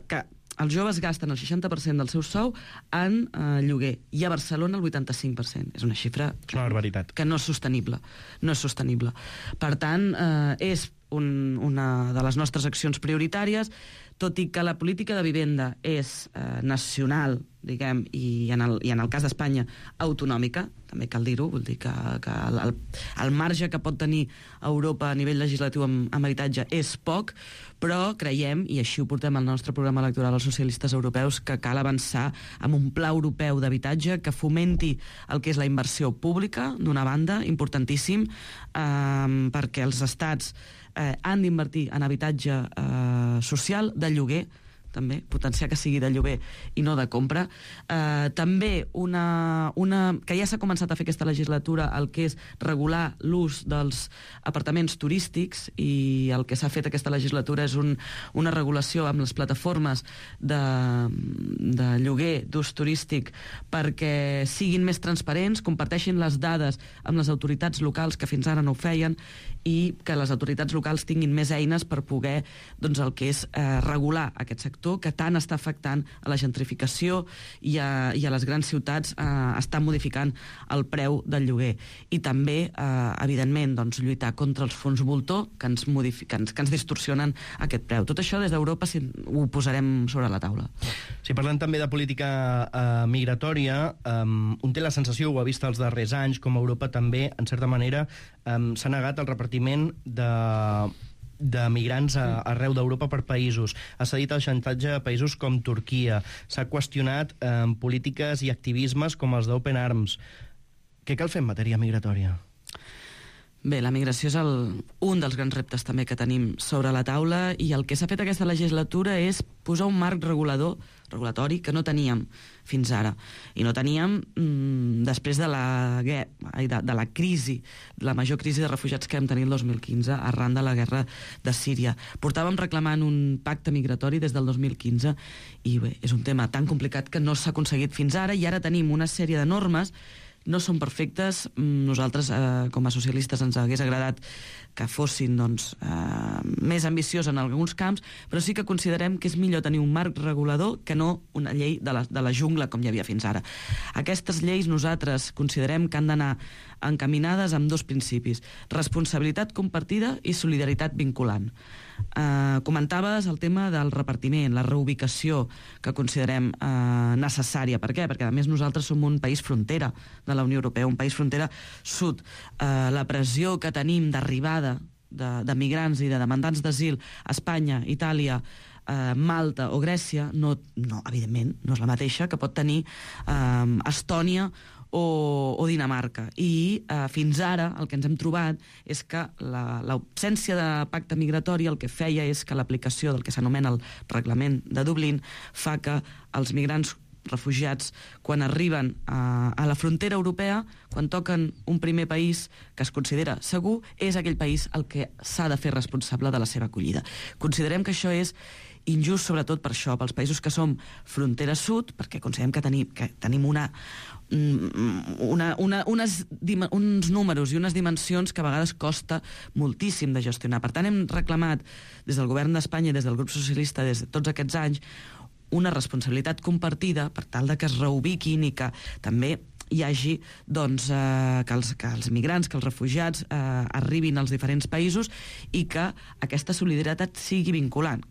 que els joves gasten el 60% del seu sou en lloguer, i a Barcelona el 85%. És una xifra que no és sostenible. No és sostenible. Per tant, és una de les nostres accions prioritàries, tot i que la política de vivenda és nacional, diguem, i en el cas d'Espanya autonòmica, també cal dir-ho, vull dir que el marge que pot tenir Europa a nivell legislatiu amb habitatge és poc, però creiem, i així ho portem al nostre programa electoral als socialistes europeus, que cal avançar amb un pla europeu d'habitatge que fomenti el que és la inversió pública, d'una banda, importantíssim, perquè els estats han d'invertir en habitatge social, de lloguer, també, potenciar que sigui de lloguer i no de compra. També que ja s'ha començat a fer aquesta legislatura, el que és regular l'ús dels apartaments turístics, i el que s'ha fet aquesta legislatura és una regulació amb les plataformes de lloguer d'ús turístic perquè siguin més transparents, comparteixin les dades amb les autoritats locals que fins ara no ho feien, i que les autoritats locals tinguin més eines per poder, doncs, el que és regular aquest sector que tant està afectant a la gentrificació i a les grans ciutats, està modificant el preu del lloguer. I també, evidentment, doncs, lluitar contra els fons voltor que ens distorsionen aquest preu. Tot això des d'Europa ho posarem sobre la taula. Si parlem també de política migratòria, un té la sensació, ho ha vist els darrers anys, com Europa també, en certa manera, s'ha negat el repartiment de migrants arreu d'Europa per països. Ha cedit el xantatge a països com Turquia. S'ha qüestionat polítiques i activismes com els d'Open Arms. Què cal fer en matèria migratòria? Bé, la migració és un dels grans reptes també que tenim sobre la taula, i el que s'ha fet aquesta legislatura és posar un marc regulatori que no teníem fins ara. I no teníem després de la crisi, la major crisi de refugiats que vam tenir el 2015 arran de la guerra de Síria. Portàvem reclamant un pacte migratori des del 2015 i bé, és un tema tan complicat que no s'ha aconseguit fins ara, i ara tenim una sèrie de normes. No són perfectes. Nosaltres, com a socialistes, ens hagués agradat que fossin més ambiciós en alguns camps, però sí que considerem que és millor tenir un marc regulador que no una llei de la jungla com hi havia fins ara. Aquestes lleis nosaltres considerem que han d'anar encaminades amb dos principis: responsabilitat compartida i solidaritat vinculant. Comentaves el tema del repartiment, la reubicació, que considerem necessària. Per què? Perquè a més nosaltres som un país frontera de la Unió Europea, un país frontera sud. La pressió que tenim d'arribada de migrants i de demandants d'asil a Espanya, Itàlia, Malta o Grècia, evidentment, no és la mateixa que pot tenir Estònia o Dinamarca. I fins ara el que ens hem trobat és que l'absència de pacte migratori el que feia és que l'aplicació del que s'anomena el reglament de Dublín fa que els migrants refugiats, quan arriben a la frontera europea, quan toquen un primer país que es considera segur, és aquell país el que s'ha de fer responsable de la seva acollida. Considerem que això és injust, sobretot per això, pels països que som frontera sud, perquè considerem que tenim uns números i unes dimensions que a vegades costa moltíssim de gestionar. Per tant, hem reclamat des del govern d'Espanya i des del grup socialista des de tots aquests anys una responsabilitat compartida per tal de que es reubiquin i que també hi hagi que els migrants, que els refugiats arribin als diferents països i que aquesta solidaritat sigui vinculant,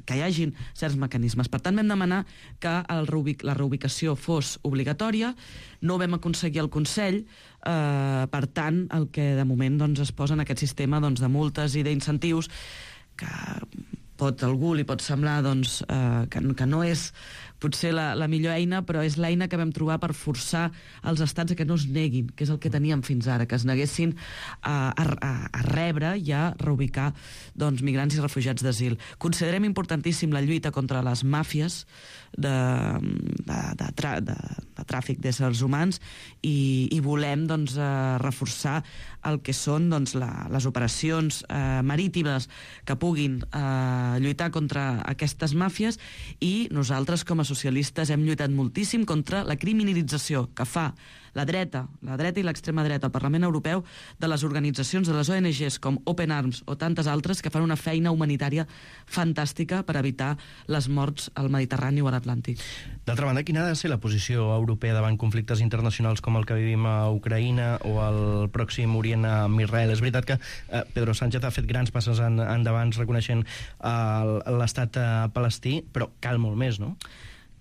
que hi hagin certs mecanismes. Per tant, vam demanar que la reubicació fos obligatòria. No ho vam aconseguir al Consell, per tant, el que de moment es posa en aquest sistema de multes i d'incentius, que algú li pot semblar que no és potser la millor eina, però és l'eina que vam trobar per forçar els estats a que no es neguin, que és el que teníem fins ara, que es neguessin a rebre i a reubicar migrants i refugiats d'asil. Considerem importantíssim la lluita contra les màfies de tràfic d'éssers humans i volem reforçar el que són les operacions marítimes que puguin lluitar contra aquestes màfies, i nosaltres com a socialistes hem lluitat moltíssim contra la criminalització que fa la dreta i l'extrema dreta al Parlament Europeu de les organitzacions, de les ONGs com Open Arms o tantes altres que fan una feina humanitària fantàstica per evitar les morts al Mediterrani o a l'Atlàntic. D'altra banda, quina ha de ser la posició europea davant conflictes internacionals com el que vivim a Ucraïna o al Pròxim Orient amb Israel? És veritat que Pedro Sánchez ha fet grans passes endavant reconeixent l'estat palestí, però cal molt més, no?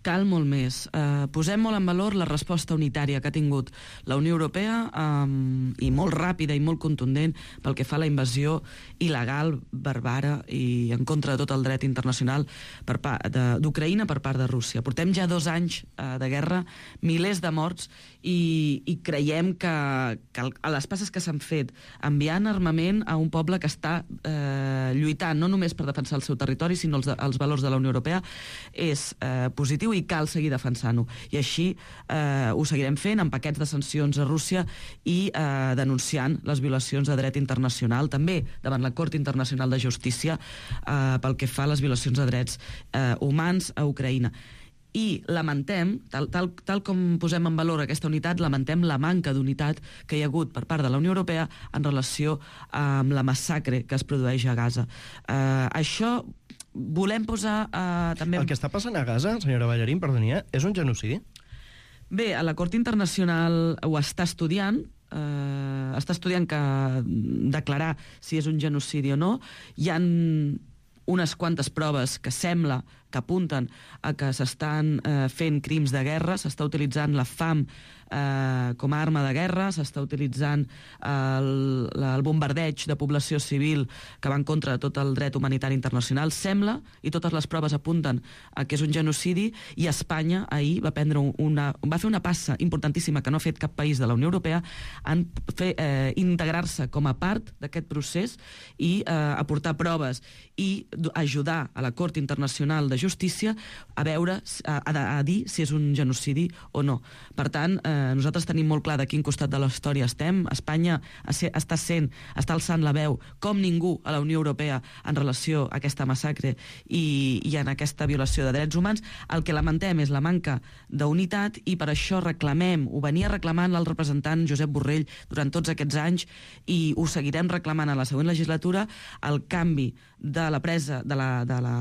Cal molt més. Posem molt en valor la resposta unitària que ha tingut la Unió Europea i molt ràpida i molt contundent pel que fa a la invasió il·legal, barbara i en contra de tot el dret internacional d'Ucraïna per part de Rússia. Portem ja 2 anys de guerra, milers de morts, i creiem que a les passes que s'han fet enviant armament a un poble que està lluitant no només per defensar el seu territori sinó els valors de la Unió Europea és positiu i cal seguir defensant-ho. I així ho seguirem fent amb paquets de sancions a Rússia i denunciant les violacions de dret internacional, també davant la Cort Internacional de Justícia pel que fa a les violacions de drets humans a Ucraïna. I lamentem, tal com posem en valor aquesta unitat, lamentem la manca d'unitat que hi ha hagut per part de la Unió Europea en relació amb la massacre que es produeix a Gaza. Això volem posar també... El que està passant a Gaza, senyora Ballarín, perdoni, és un genocidi? Bé, a la Cort Internacional ho està estudiant que declarar si és un genocidi o no. Hi ha unes quantes proves que sembla que apunten a que s'estan fent crims de guerra, s'està utilitzant la fam com a arma de guerra, s'està utilitzant el bombardeig de població civil que va en contra de tot el dret humanitari internacional. Sembla, i totes les proves apunten a que és un genocidi, i Espanya ahir va fer una passa importantíssima que no ha fet cap país de la Unió Europea en integrar-se com a part d'aquest procés i aportar proves i ajudar a la Cort Internacional de Justícia a dir si és un genocidi o no. Per tant, nosaltres tenim molt clar de quin costat de la història estem. Espanya està alçant la veu com ningú a la Unió Europea en relació a aquesta massacre i en aquesta violació de drets humans. El que lamentem és la manca d'unitat i per això ho venia reclamant el representant Josep Borrell durant tots aquests anys i ho seguirem reclamant a la següent legislatura, el canvi de la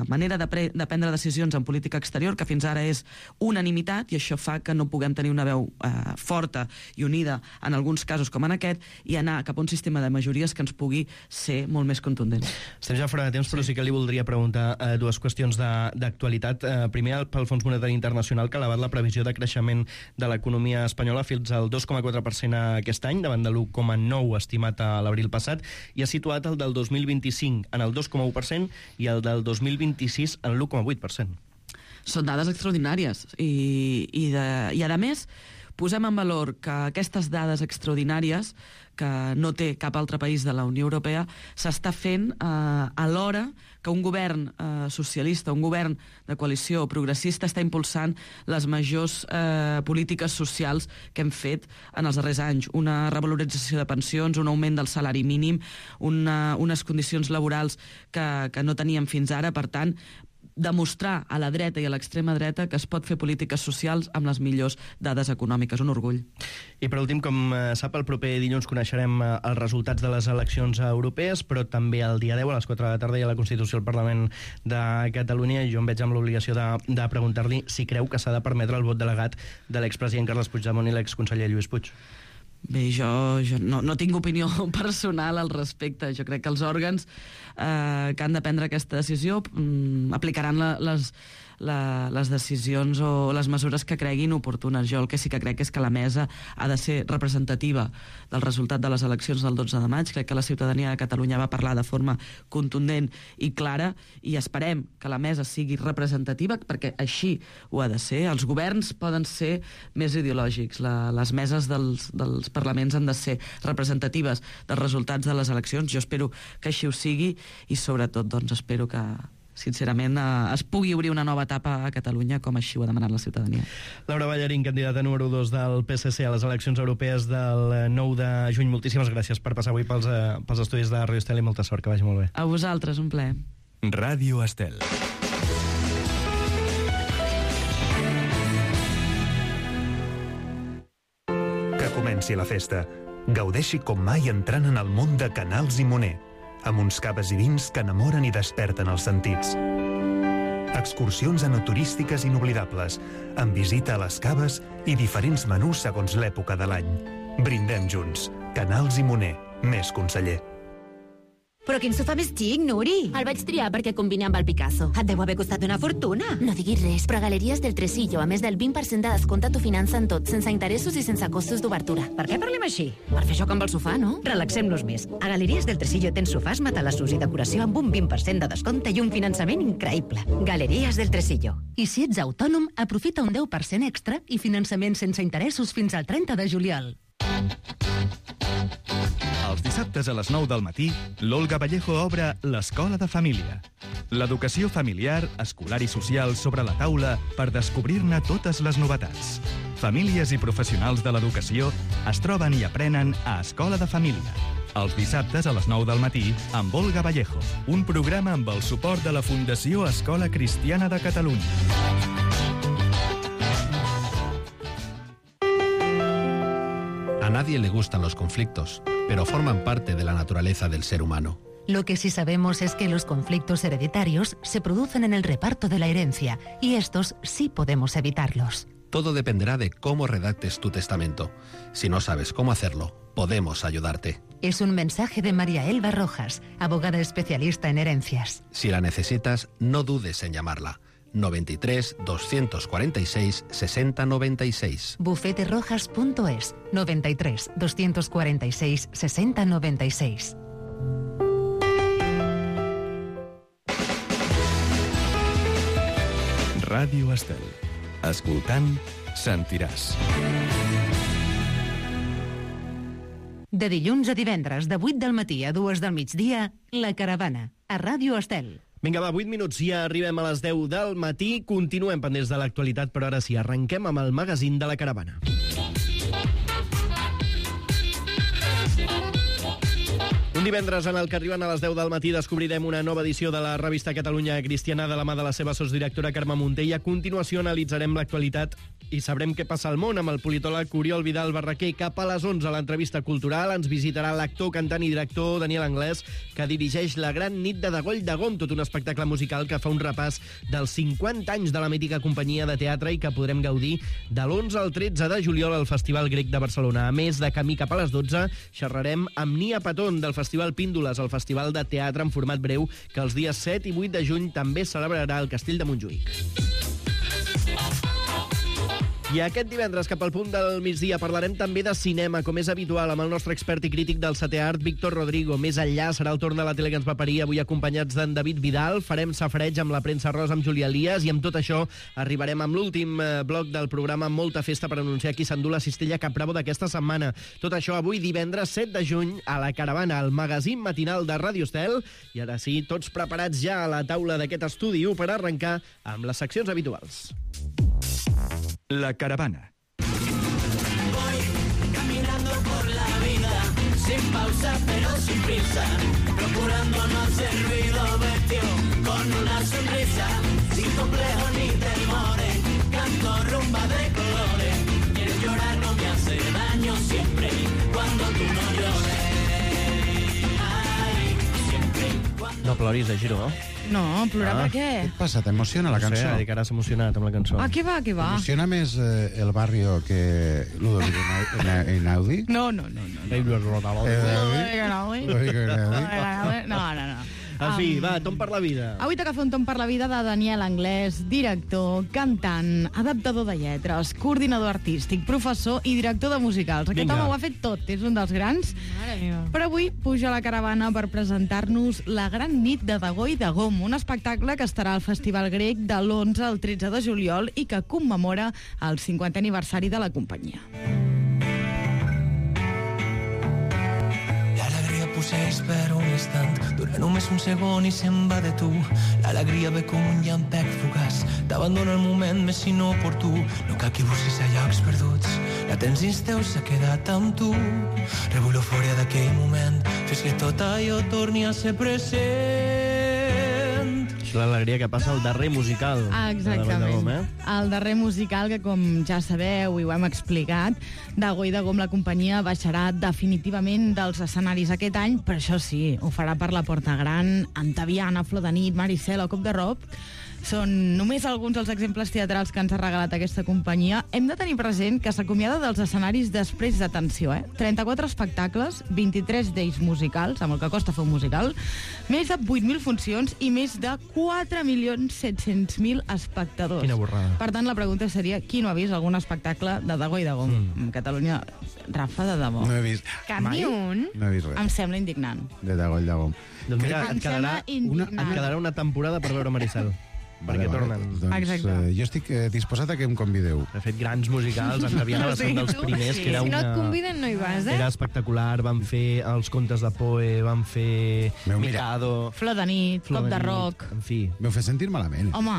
manera de prendre decisions en política exterior, que fins ara és unanimitat, i això fa que no puguem tenir una veu forta i unida en alguns casos com en aquest, i anar cap a un sistema de majories que ens pugui ser molt més contundent. Estem ja fora de temps, però sí que li voldria preguntar dues qüestions d'actualitat. Primer, pel Fons Monetari Internacional, que ha elevat la previsió de creixement de l'economia espanyola fins al 2,4% aquest any, davant de l'1,9% estimat a l'abril passat, i ha situat el del 2025 en el 2,1% i el del 2026 en l'1,8%. Són dades extraordinàries i a més posem en valor que aquestes dades extraordinàries, que no té cap altre país de la Unió Europea, s'està fent alhora que un govern socialista, un govern de coalició progressista, està impulsant les majors polítiques socials que hem fet en els darrers anys. Una revalorització de pensions, un augment del salari mínim, unes condicions laborals que no teníem fins ara. Per tant, demostrar a la dreta i a l'extrema dreta que es pot fer polítiques socials amb les millors dades econòmiques. Un orgull. I per últim, com sap, el proper dilluns coneixerem els resultats de les eleccions europees, però també el dia 10 a les 4 de la tarda hi ha la Constitució al Parlament de Catalunya i jo em veig amb l'obligació de preguntar-li si creu que s'ha de permetre el vot delegat de l'expresident Carles Puigdemont i l'exconseller Lluís Puig. Bé, jo no tinc opinió personal al respecte. Jo crec que els òrgans que han de prendre aquesta decisió aplicaran les decisions o les mesures que creguin oportunes. Jo el que sí que crec és que la mesa ha de ser representativa del resultat de les eleccions del 12 de maig. Crec que la ciutadania de Catalunya va parlar de forma contundent i clara i esperem que la mesa sigui representativa perquè així ho ha de ser. Els governs poden ser més ideològics. Les meses dels parlaments han de ser representatives dels resultats de les eleccions. Jo espero que així ho sigui i sobretot doncs, espero que sincerament es pugui obrir una nova etapa a Catalunya com així ho ha demanat la ciutadania. Laura Ballarín, candidata número 2 del PSC a les eleccions europees del 9 de juny. Moltíssimes gràcies per passar avui pels estudis de Ràdio Estel i molta sort, que vagi molt bé. A vosaltres, un plaer. Ràdio Estel. Que comenci la festa. Gaudeixi com mai entrant en el món de Canals i Moner, amb uns caves i vins que enamoren i desperten els sentits. Excursions enoturístiques inoblidables, amb visita a les caves i diferents menús segons l'època de l'any. Brindem junts. Canals i Moner. Més conseller. Però quin sofà més xic, Nuri! El vaig triar perquè combina amb el Picasso. Et deu haver costat una fortuna. No diguis res, però Galeries del Tresillo, a més del 20% de descompte, t'ho financen tot, sense interessos i sense costos d'obertura. Per què parlem així? Per fer joc amb el sofà, no? Relaxem-nos més. A Galeries del Tresillo tens sofàs, matalassos i decoració amb un 20% de descompte i un finançament increïble. Galeries del Tresillo. I si ets autònom, aprofita un 10% extra i finançament sense interessos fins al 30 de juliol. Els dissabtes a les 9 del matí, l'Olga Vallejo obre l'Escola de Família. L'educació familiar, escolar i social sobre la taula per descobrir-ne totes les novetats. Famílies i professionals de l'educació es troben i aprenen a Escola de Família. Els dissabtes a les 9 del matí amb Olga Vallejo, un programa amb el suport de la Fundació Escola Cristiana de Catalunya. A nadie le gustan los conflictos, pero forman parte de la naturaleza del ser humano. Lo que sí sabemos es que los conflictos hereditarios se producen en el reparto de la herencia, y estos sí podemos evitarlos. Todo dependerá de cómo redactes tu testamento. Si no sabes cómo hacerlo, podemos ayudarte. Es un mensaje de María Elba Rojas, abogada especialista en herencias. Si la necesitas, no dudes en llamarla. 93 246 60 96. Bufeterojas.es 93 246 60 96. Ràdio Estel. Escoltant, sentiràs. De dilluns a divendres, de 8 del matí a 2 del migdia, La Caravana, a Ràdio Estel. Vinga, va, 8 minuts, ja arribem a les 10 del matí. Continuem pendents de l'actualitat, però ara sí, arrenquem amb el magazín de La Caravana. Un divendres en el que arriben a les 10 del matí descobrirem una nova edició de la revista Catalunya Cristiana de la mà de la seva sotsdirectora Carme Munté i a continuació analitzarem l'actualitat i sabrem què passa al món amb el politòleg Oriol Vidal Barraquer. Cap a les 11 a l'entrevista cultural ens visitarà l'actor, cantant i director Daniel Anglès, que dirigeix La Gran Nit de Degoll de Gom, tot un espectacle musical que fa un repàs dels 50 anys de la mítica companyia de teatre i que podrem gaudir de l'11 al 13 de juliol al Festival Grec de Barcelona. A més, de camí cap a les 12 xerrarem amb Nia Patón del Festival Píndoles, el festival de teatre en format breu que els dies 7 i 8 de juny també celebrarà el Castell de Montjuïc. I aquest divendres, cap al punt del migdia, parlarem també de cinema, com és habitual, amb el nostre expert i crític del setè art, Víctor Rodrigo. Més enllà serà el torn de la tele que ens va parir, avui acompanyats d'en David Vidal. Farem safreig amb la premsa rosa amb Júlia Elias i amb tot això arribarem amb l'últim bloc del programa, molta festa per anunciar qui s'endú la cistella Cap Bravo d'aquesta setmana. Tot això avui divendres 7 de juny a la Caravana, al magazín matinal de Ràdio Estel. I ara sí, tots preparats ja a la taula d'aquest estudi 1 per arrencar amb les seccions habituals. La Caravana. Voy caminando por la vida, sin pausa pero sin prisa, procurando no hacer ruido, vestido con una sonrisa, sin complejo ni temores, canto rumba de colores, quieres llorar no me hace daño siempre, cuando tú no llores. Ay, siempre cuando... No ploris, Giro, no? No, plorar per què? Què et passa? T'emociona la cançó? No sé, que ara s'ha emocionat amb la cançó. Ah, què va, què va? T'emociona més el barrio que Ludovic Einaudi? No. En fi, va, Tom per la vida. Avui toca fer un tom per la vida de Daniel Anglès, director, cantant, adaptador de lletres, coordinador artístic, professor i director de musicals. Aquest home ho ha fet tot, és un dels grans. Però avui puja a la Caravana per presentar-nos La Gran Nit de Dago i Dagom, un espectacle que estarà al Festival Grec de l'11 al 13 de juliol i que commemora el 50è aniversari de la companyia. Posseeix per un instant, dura només un segon i se'n va de tu. L'alegria ve com un llampec fugaç, t'abandona el moment més inoportú. No cal que busquis a llocs perduts, la tens dins teu, s'ha quedat amb tu. Rebull l'eufòria d'aquell moment, fes que tot allò torni a ser present. És l'alegria que passa al darrer musical. Exactament. El darrer musical que, com ja sabeu i ho hem explicat, Dago i Dagom, la companyia, baixarà definitivament dels escenaris aquest any, però això sí, ho farà per la Porta Gran, Antaviana, Flor de Nit, Maricel o Cop de Roc. Són només alguns dels exemples teatrals que ens ha regalat aquesta companyia. Hem de tenir present que s'acomiada dels escenaris després d'atenció, 34 espectacles, 23 d'ells musicals, amb el que costa fer un musical, més de 8.000 funcions i més de 4.700.000 espectadors. Quina borrada. Per tant, la pregunta seria, qui no ha vist algun espectacle de Dago i Dagom? En Catalunya, Rafa, de debò. No he vist. Que ni un? No he vist res. Em sembla indignant. De Dago i Dagom. Doncs mira, et quedarà una temporada per veure Maricel. Perquè tornen. Doncs jo estic disposat a que em convideu. De fet, grans musicals, Antaviana va ser un dels primers, que era Si no et conviden, no hi vas, Era espectacular, van fer els contes de Poe, van fer Mikado... Flor de Nit, Cop de Roc... En fi... M'ho fet sentir malament. Home...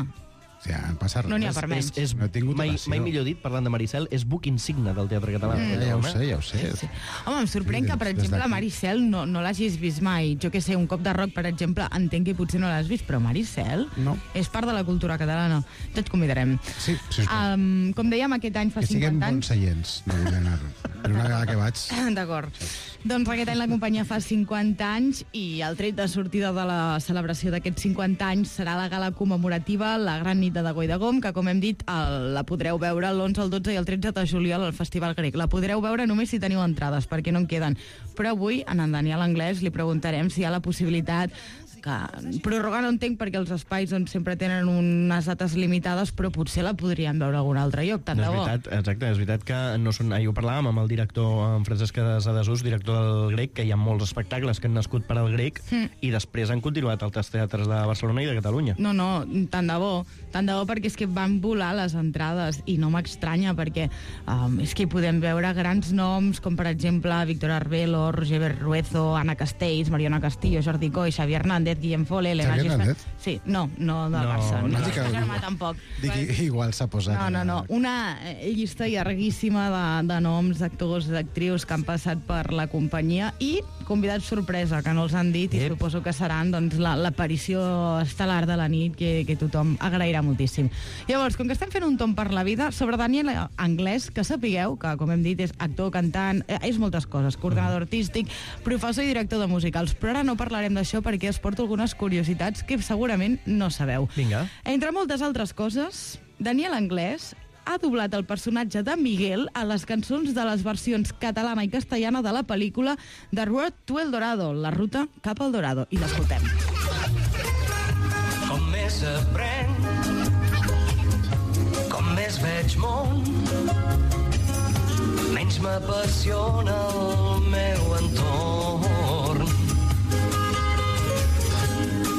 O sigui, passa res. No n'hi ha per menys. No he tingut ocasió. Mai millor dit, parlant de Maricel, és buc insigne del teatre català. Ja ho sé. Sí. Home, em sorprèn que, per exemple, la Maricel no l'hagis vist mai. Jo que sé, un Cop de Roc, per exemple, entenc que potser no l'has vist, però Maricel és part de la cultura catalana. Et convidarem. Sí, sisplau. Com dèiem, aquest any fa 50 anys... Que siguem bons seients, no vull anar. Però una vegada que vaig... D'acord. Doncs aquest any la companyia fa 50 anys i el tret de sortida de la celebració d'aquests 50 anys serà la gala commemorativa La Gran Nit de Dago i Dagom, que, com hem dit, la podreu veure l'11, el 12 i el 13 de juliol al Festival Grec. La podreu veure només si teniu entrades, perquè no en queden. Però avui, a en Daniel Anglès, li preguntarem si hi ha la possibilitat que prorrogar no entenc perquè els espais sempre tenen unes dates limitades, però potser la podríem veure a algun altre lloc, tant de bo. És veritat que no són... Ahir ho parlàvem amb el director, en Francesc Adesús, director del Grec, que hi ha molts espectacles que han nascut per al Grec i després han continuat altres teatres de Barcelona i de Catalunya. No, tant de bo, perquè és que van volar les entrades i no m'estranya perquè és que hi podem veure grans noms com per exemple Víctor Arbelo, Roger Berruezo, Anna Castells, Mariona Castillo, Jordi Coy, Xavi Hernández, Guillem Fole, Elena Gispert. Sí, no del Barça. No, Germà tampoc. Igual s'ha posat... No. Una llista llarguíssima de noms, d'actors, d'actrius que han passat per la companyia i convidats sorpresa, que no els han dit i suposo que seran l'aparició estel·lar de la nit que tothom agrairà moltíssim. Llavors, com que estem fent un tom per la vida, sobre Daniel Anglès, que sapigueu que, com hem dit, és actor, cantant, és moltes coses, coordinador artístic, professor i director de musicals, però ara no parlarem d'això perquè es porta algunes curiositats que segurament no sabeu. Vinga. Entre moltes altres coses, Daniel Anglès ha doblat el personatge de Miguel a les cançons de les versions catalana i castellana de la pel·lícula The Road to El Dorado, la ruta cap al Dorado. I l'escoltem. Com més aprenc, com més més veig món, menys m'apassiona el meu entorn.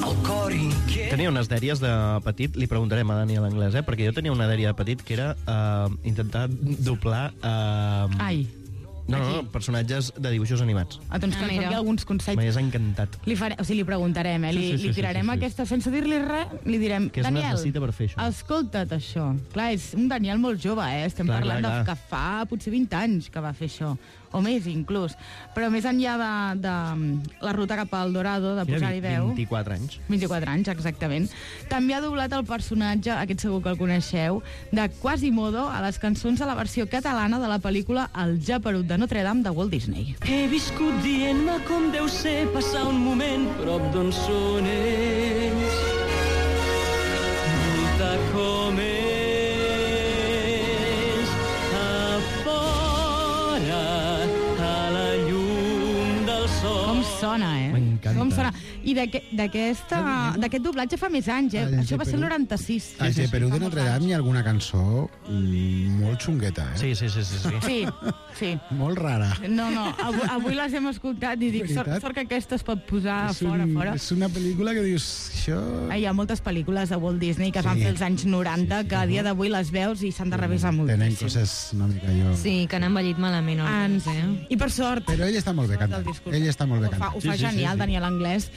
El cor inquiet... Tenia unes dèries de petit, li preguntarem a Daniel Anglès, perquè jo tenia una dèria de petit que era intentar doblar... Ai. No, personatges de dibuixos animats. Doncs que ens doni alguns consells. M'hagués encantat. Li preguntarem, li tirarem aquesta... Sense dir-li res, li direm... Què es necessita per fer això? Escolta't això. Clar, és un Daniel molt jove, Estem parlant de que fa potser 20 anys que va fer això. O més, inclús. Però més enllà de la ruta cap al Dorado, de posar-hi veu... 24 anys. 24 anys, exactament. També ha doblat el personatge, aquest segur que el coneixeu, de Quasimodo a les cançons de la versió catalana de la pel·lícula El Geperut de Notre Dame de Walt Disney. He viscut dient-me com deu ser passar un moment prop d'on són ells. Voltar com ells a fora, a la llum del sol. Com sona, M'encanta. Com sona. I d'aquest doblatge fa més anys, Això va ser el 96. Al Geperut de Notre Dame hi ha alguna cançó molt xungueta, Sí. Sí. Molt rara. No, avui les hem escoltat i dic, sort que aquesta es pot posar fora. És una pel·lícula que dius... Això... Hi ha moltes pel·lícules de Walt Disney que es van fer als anys 90 que a dia d'avui les veus i s'han de revisar moltíssim. Tenen coses una mica allò... Sí, que han envellit malament. I per sort... Però ell està molt bé cantant. Ell està molt bé cantant. Ho fa genial, Daniel Anglès.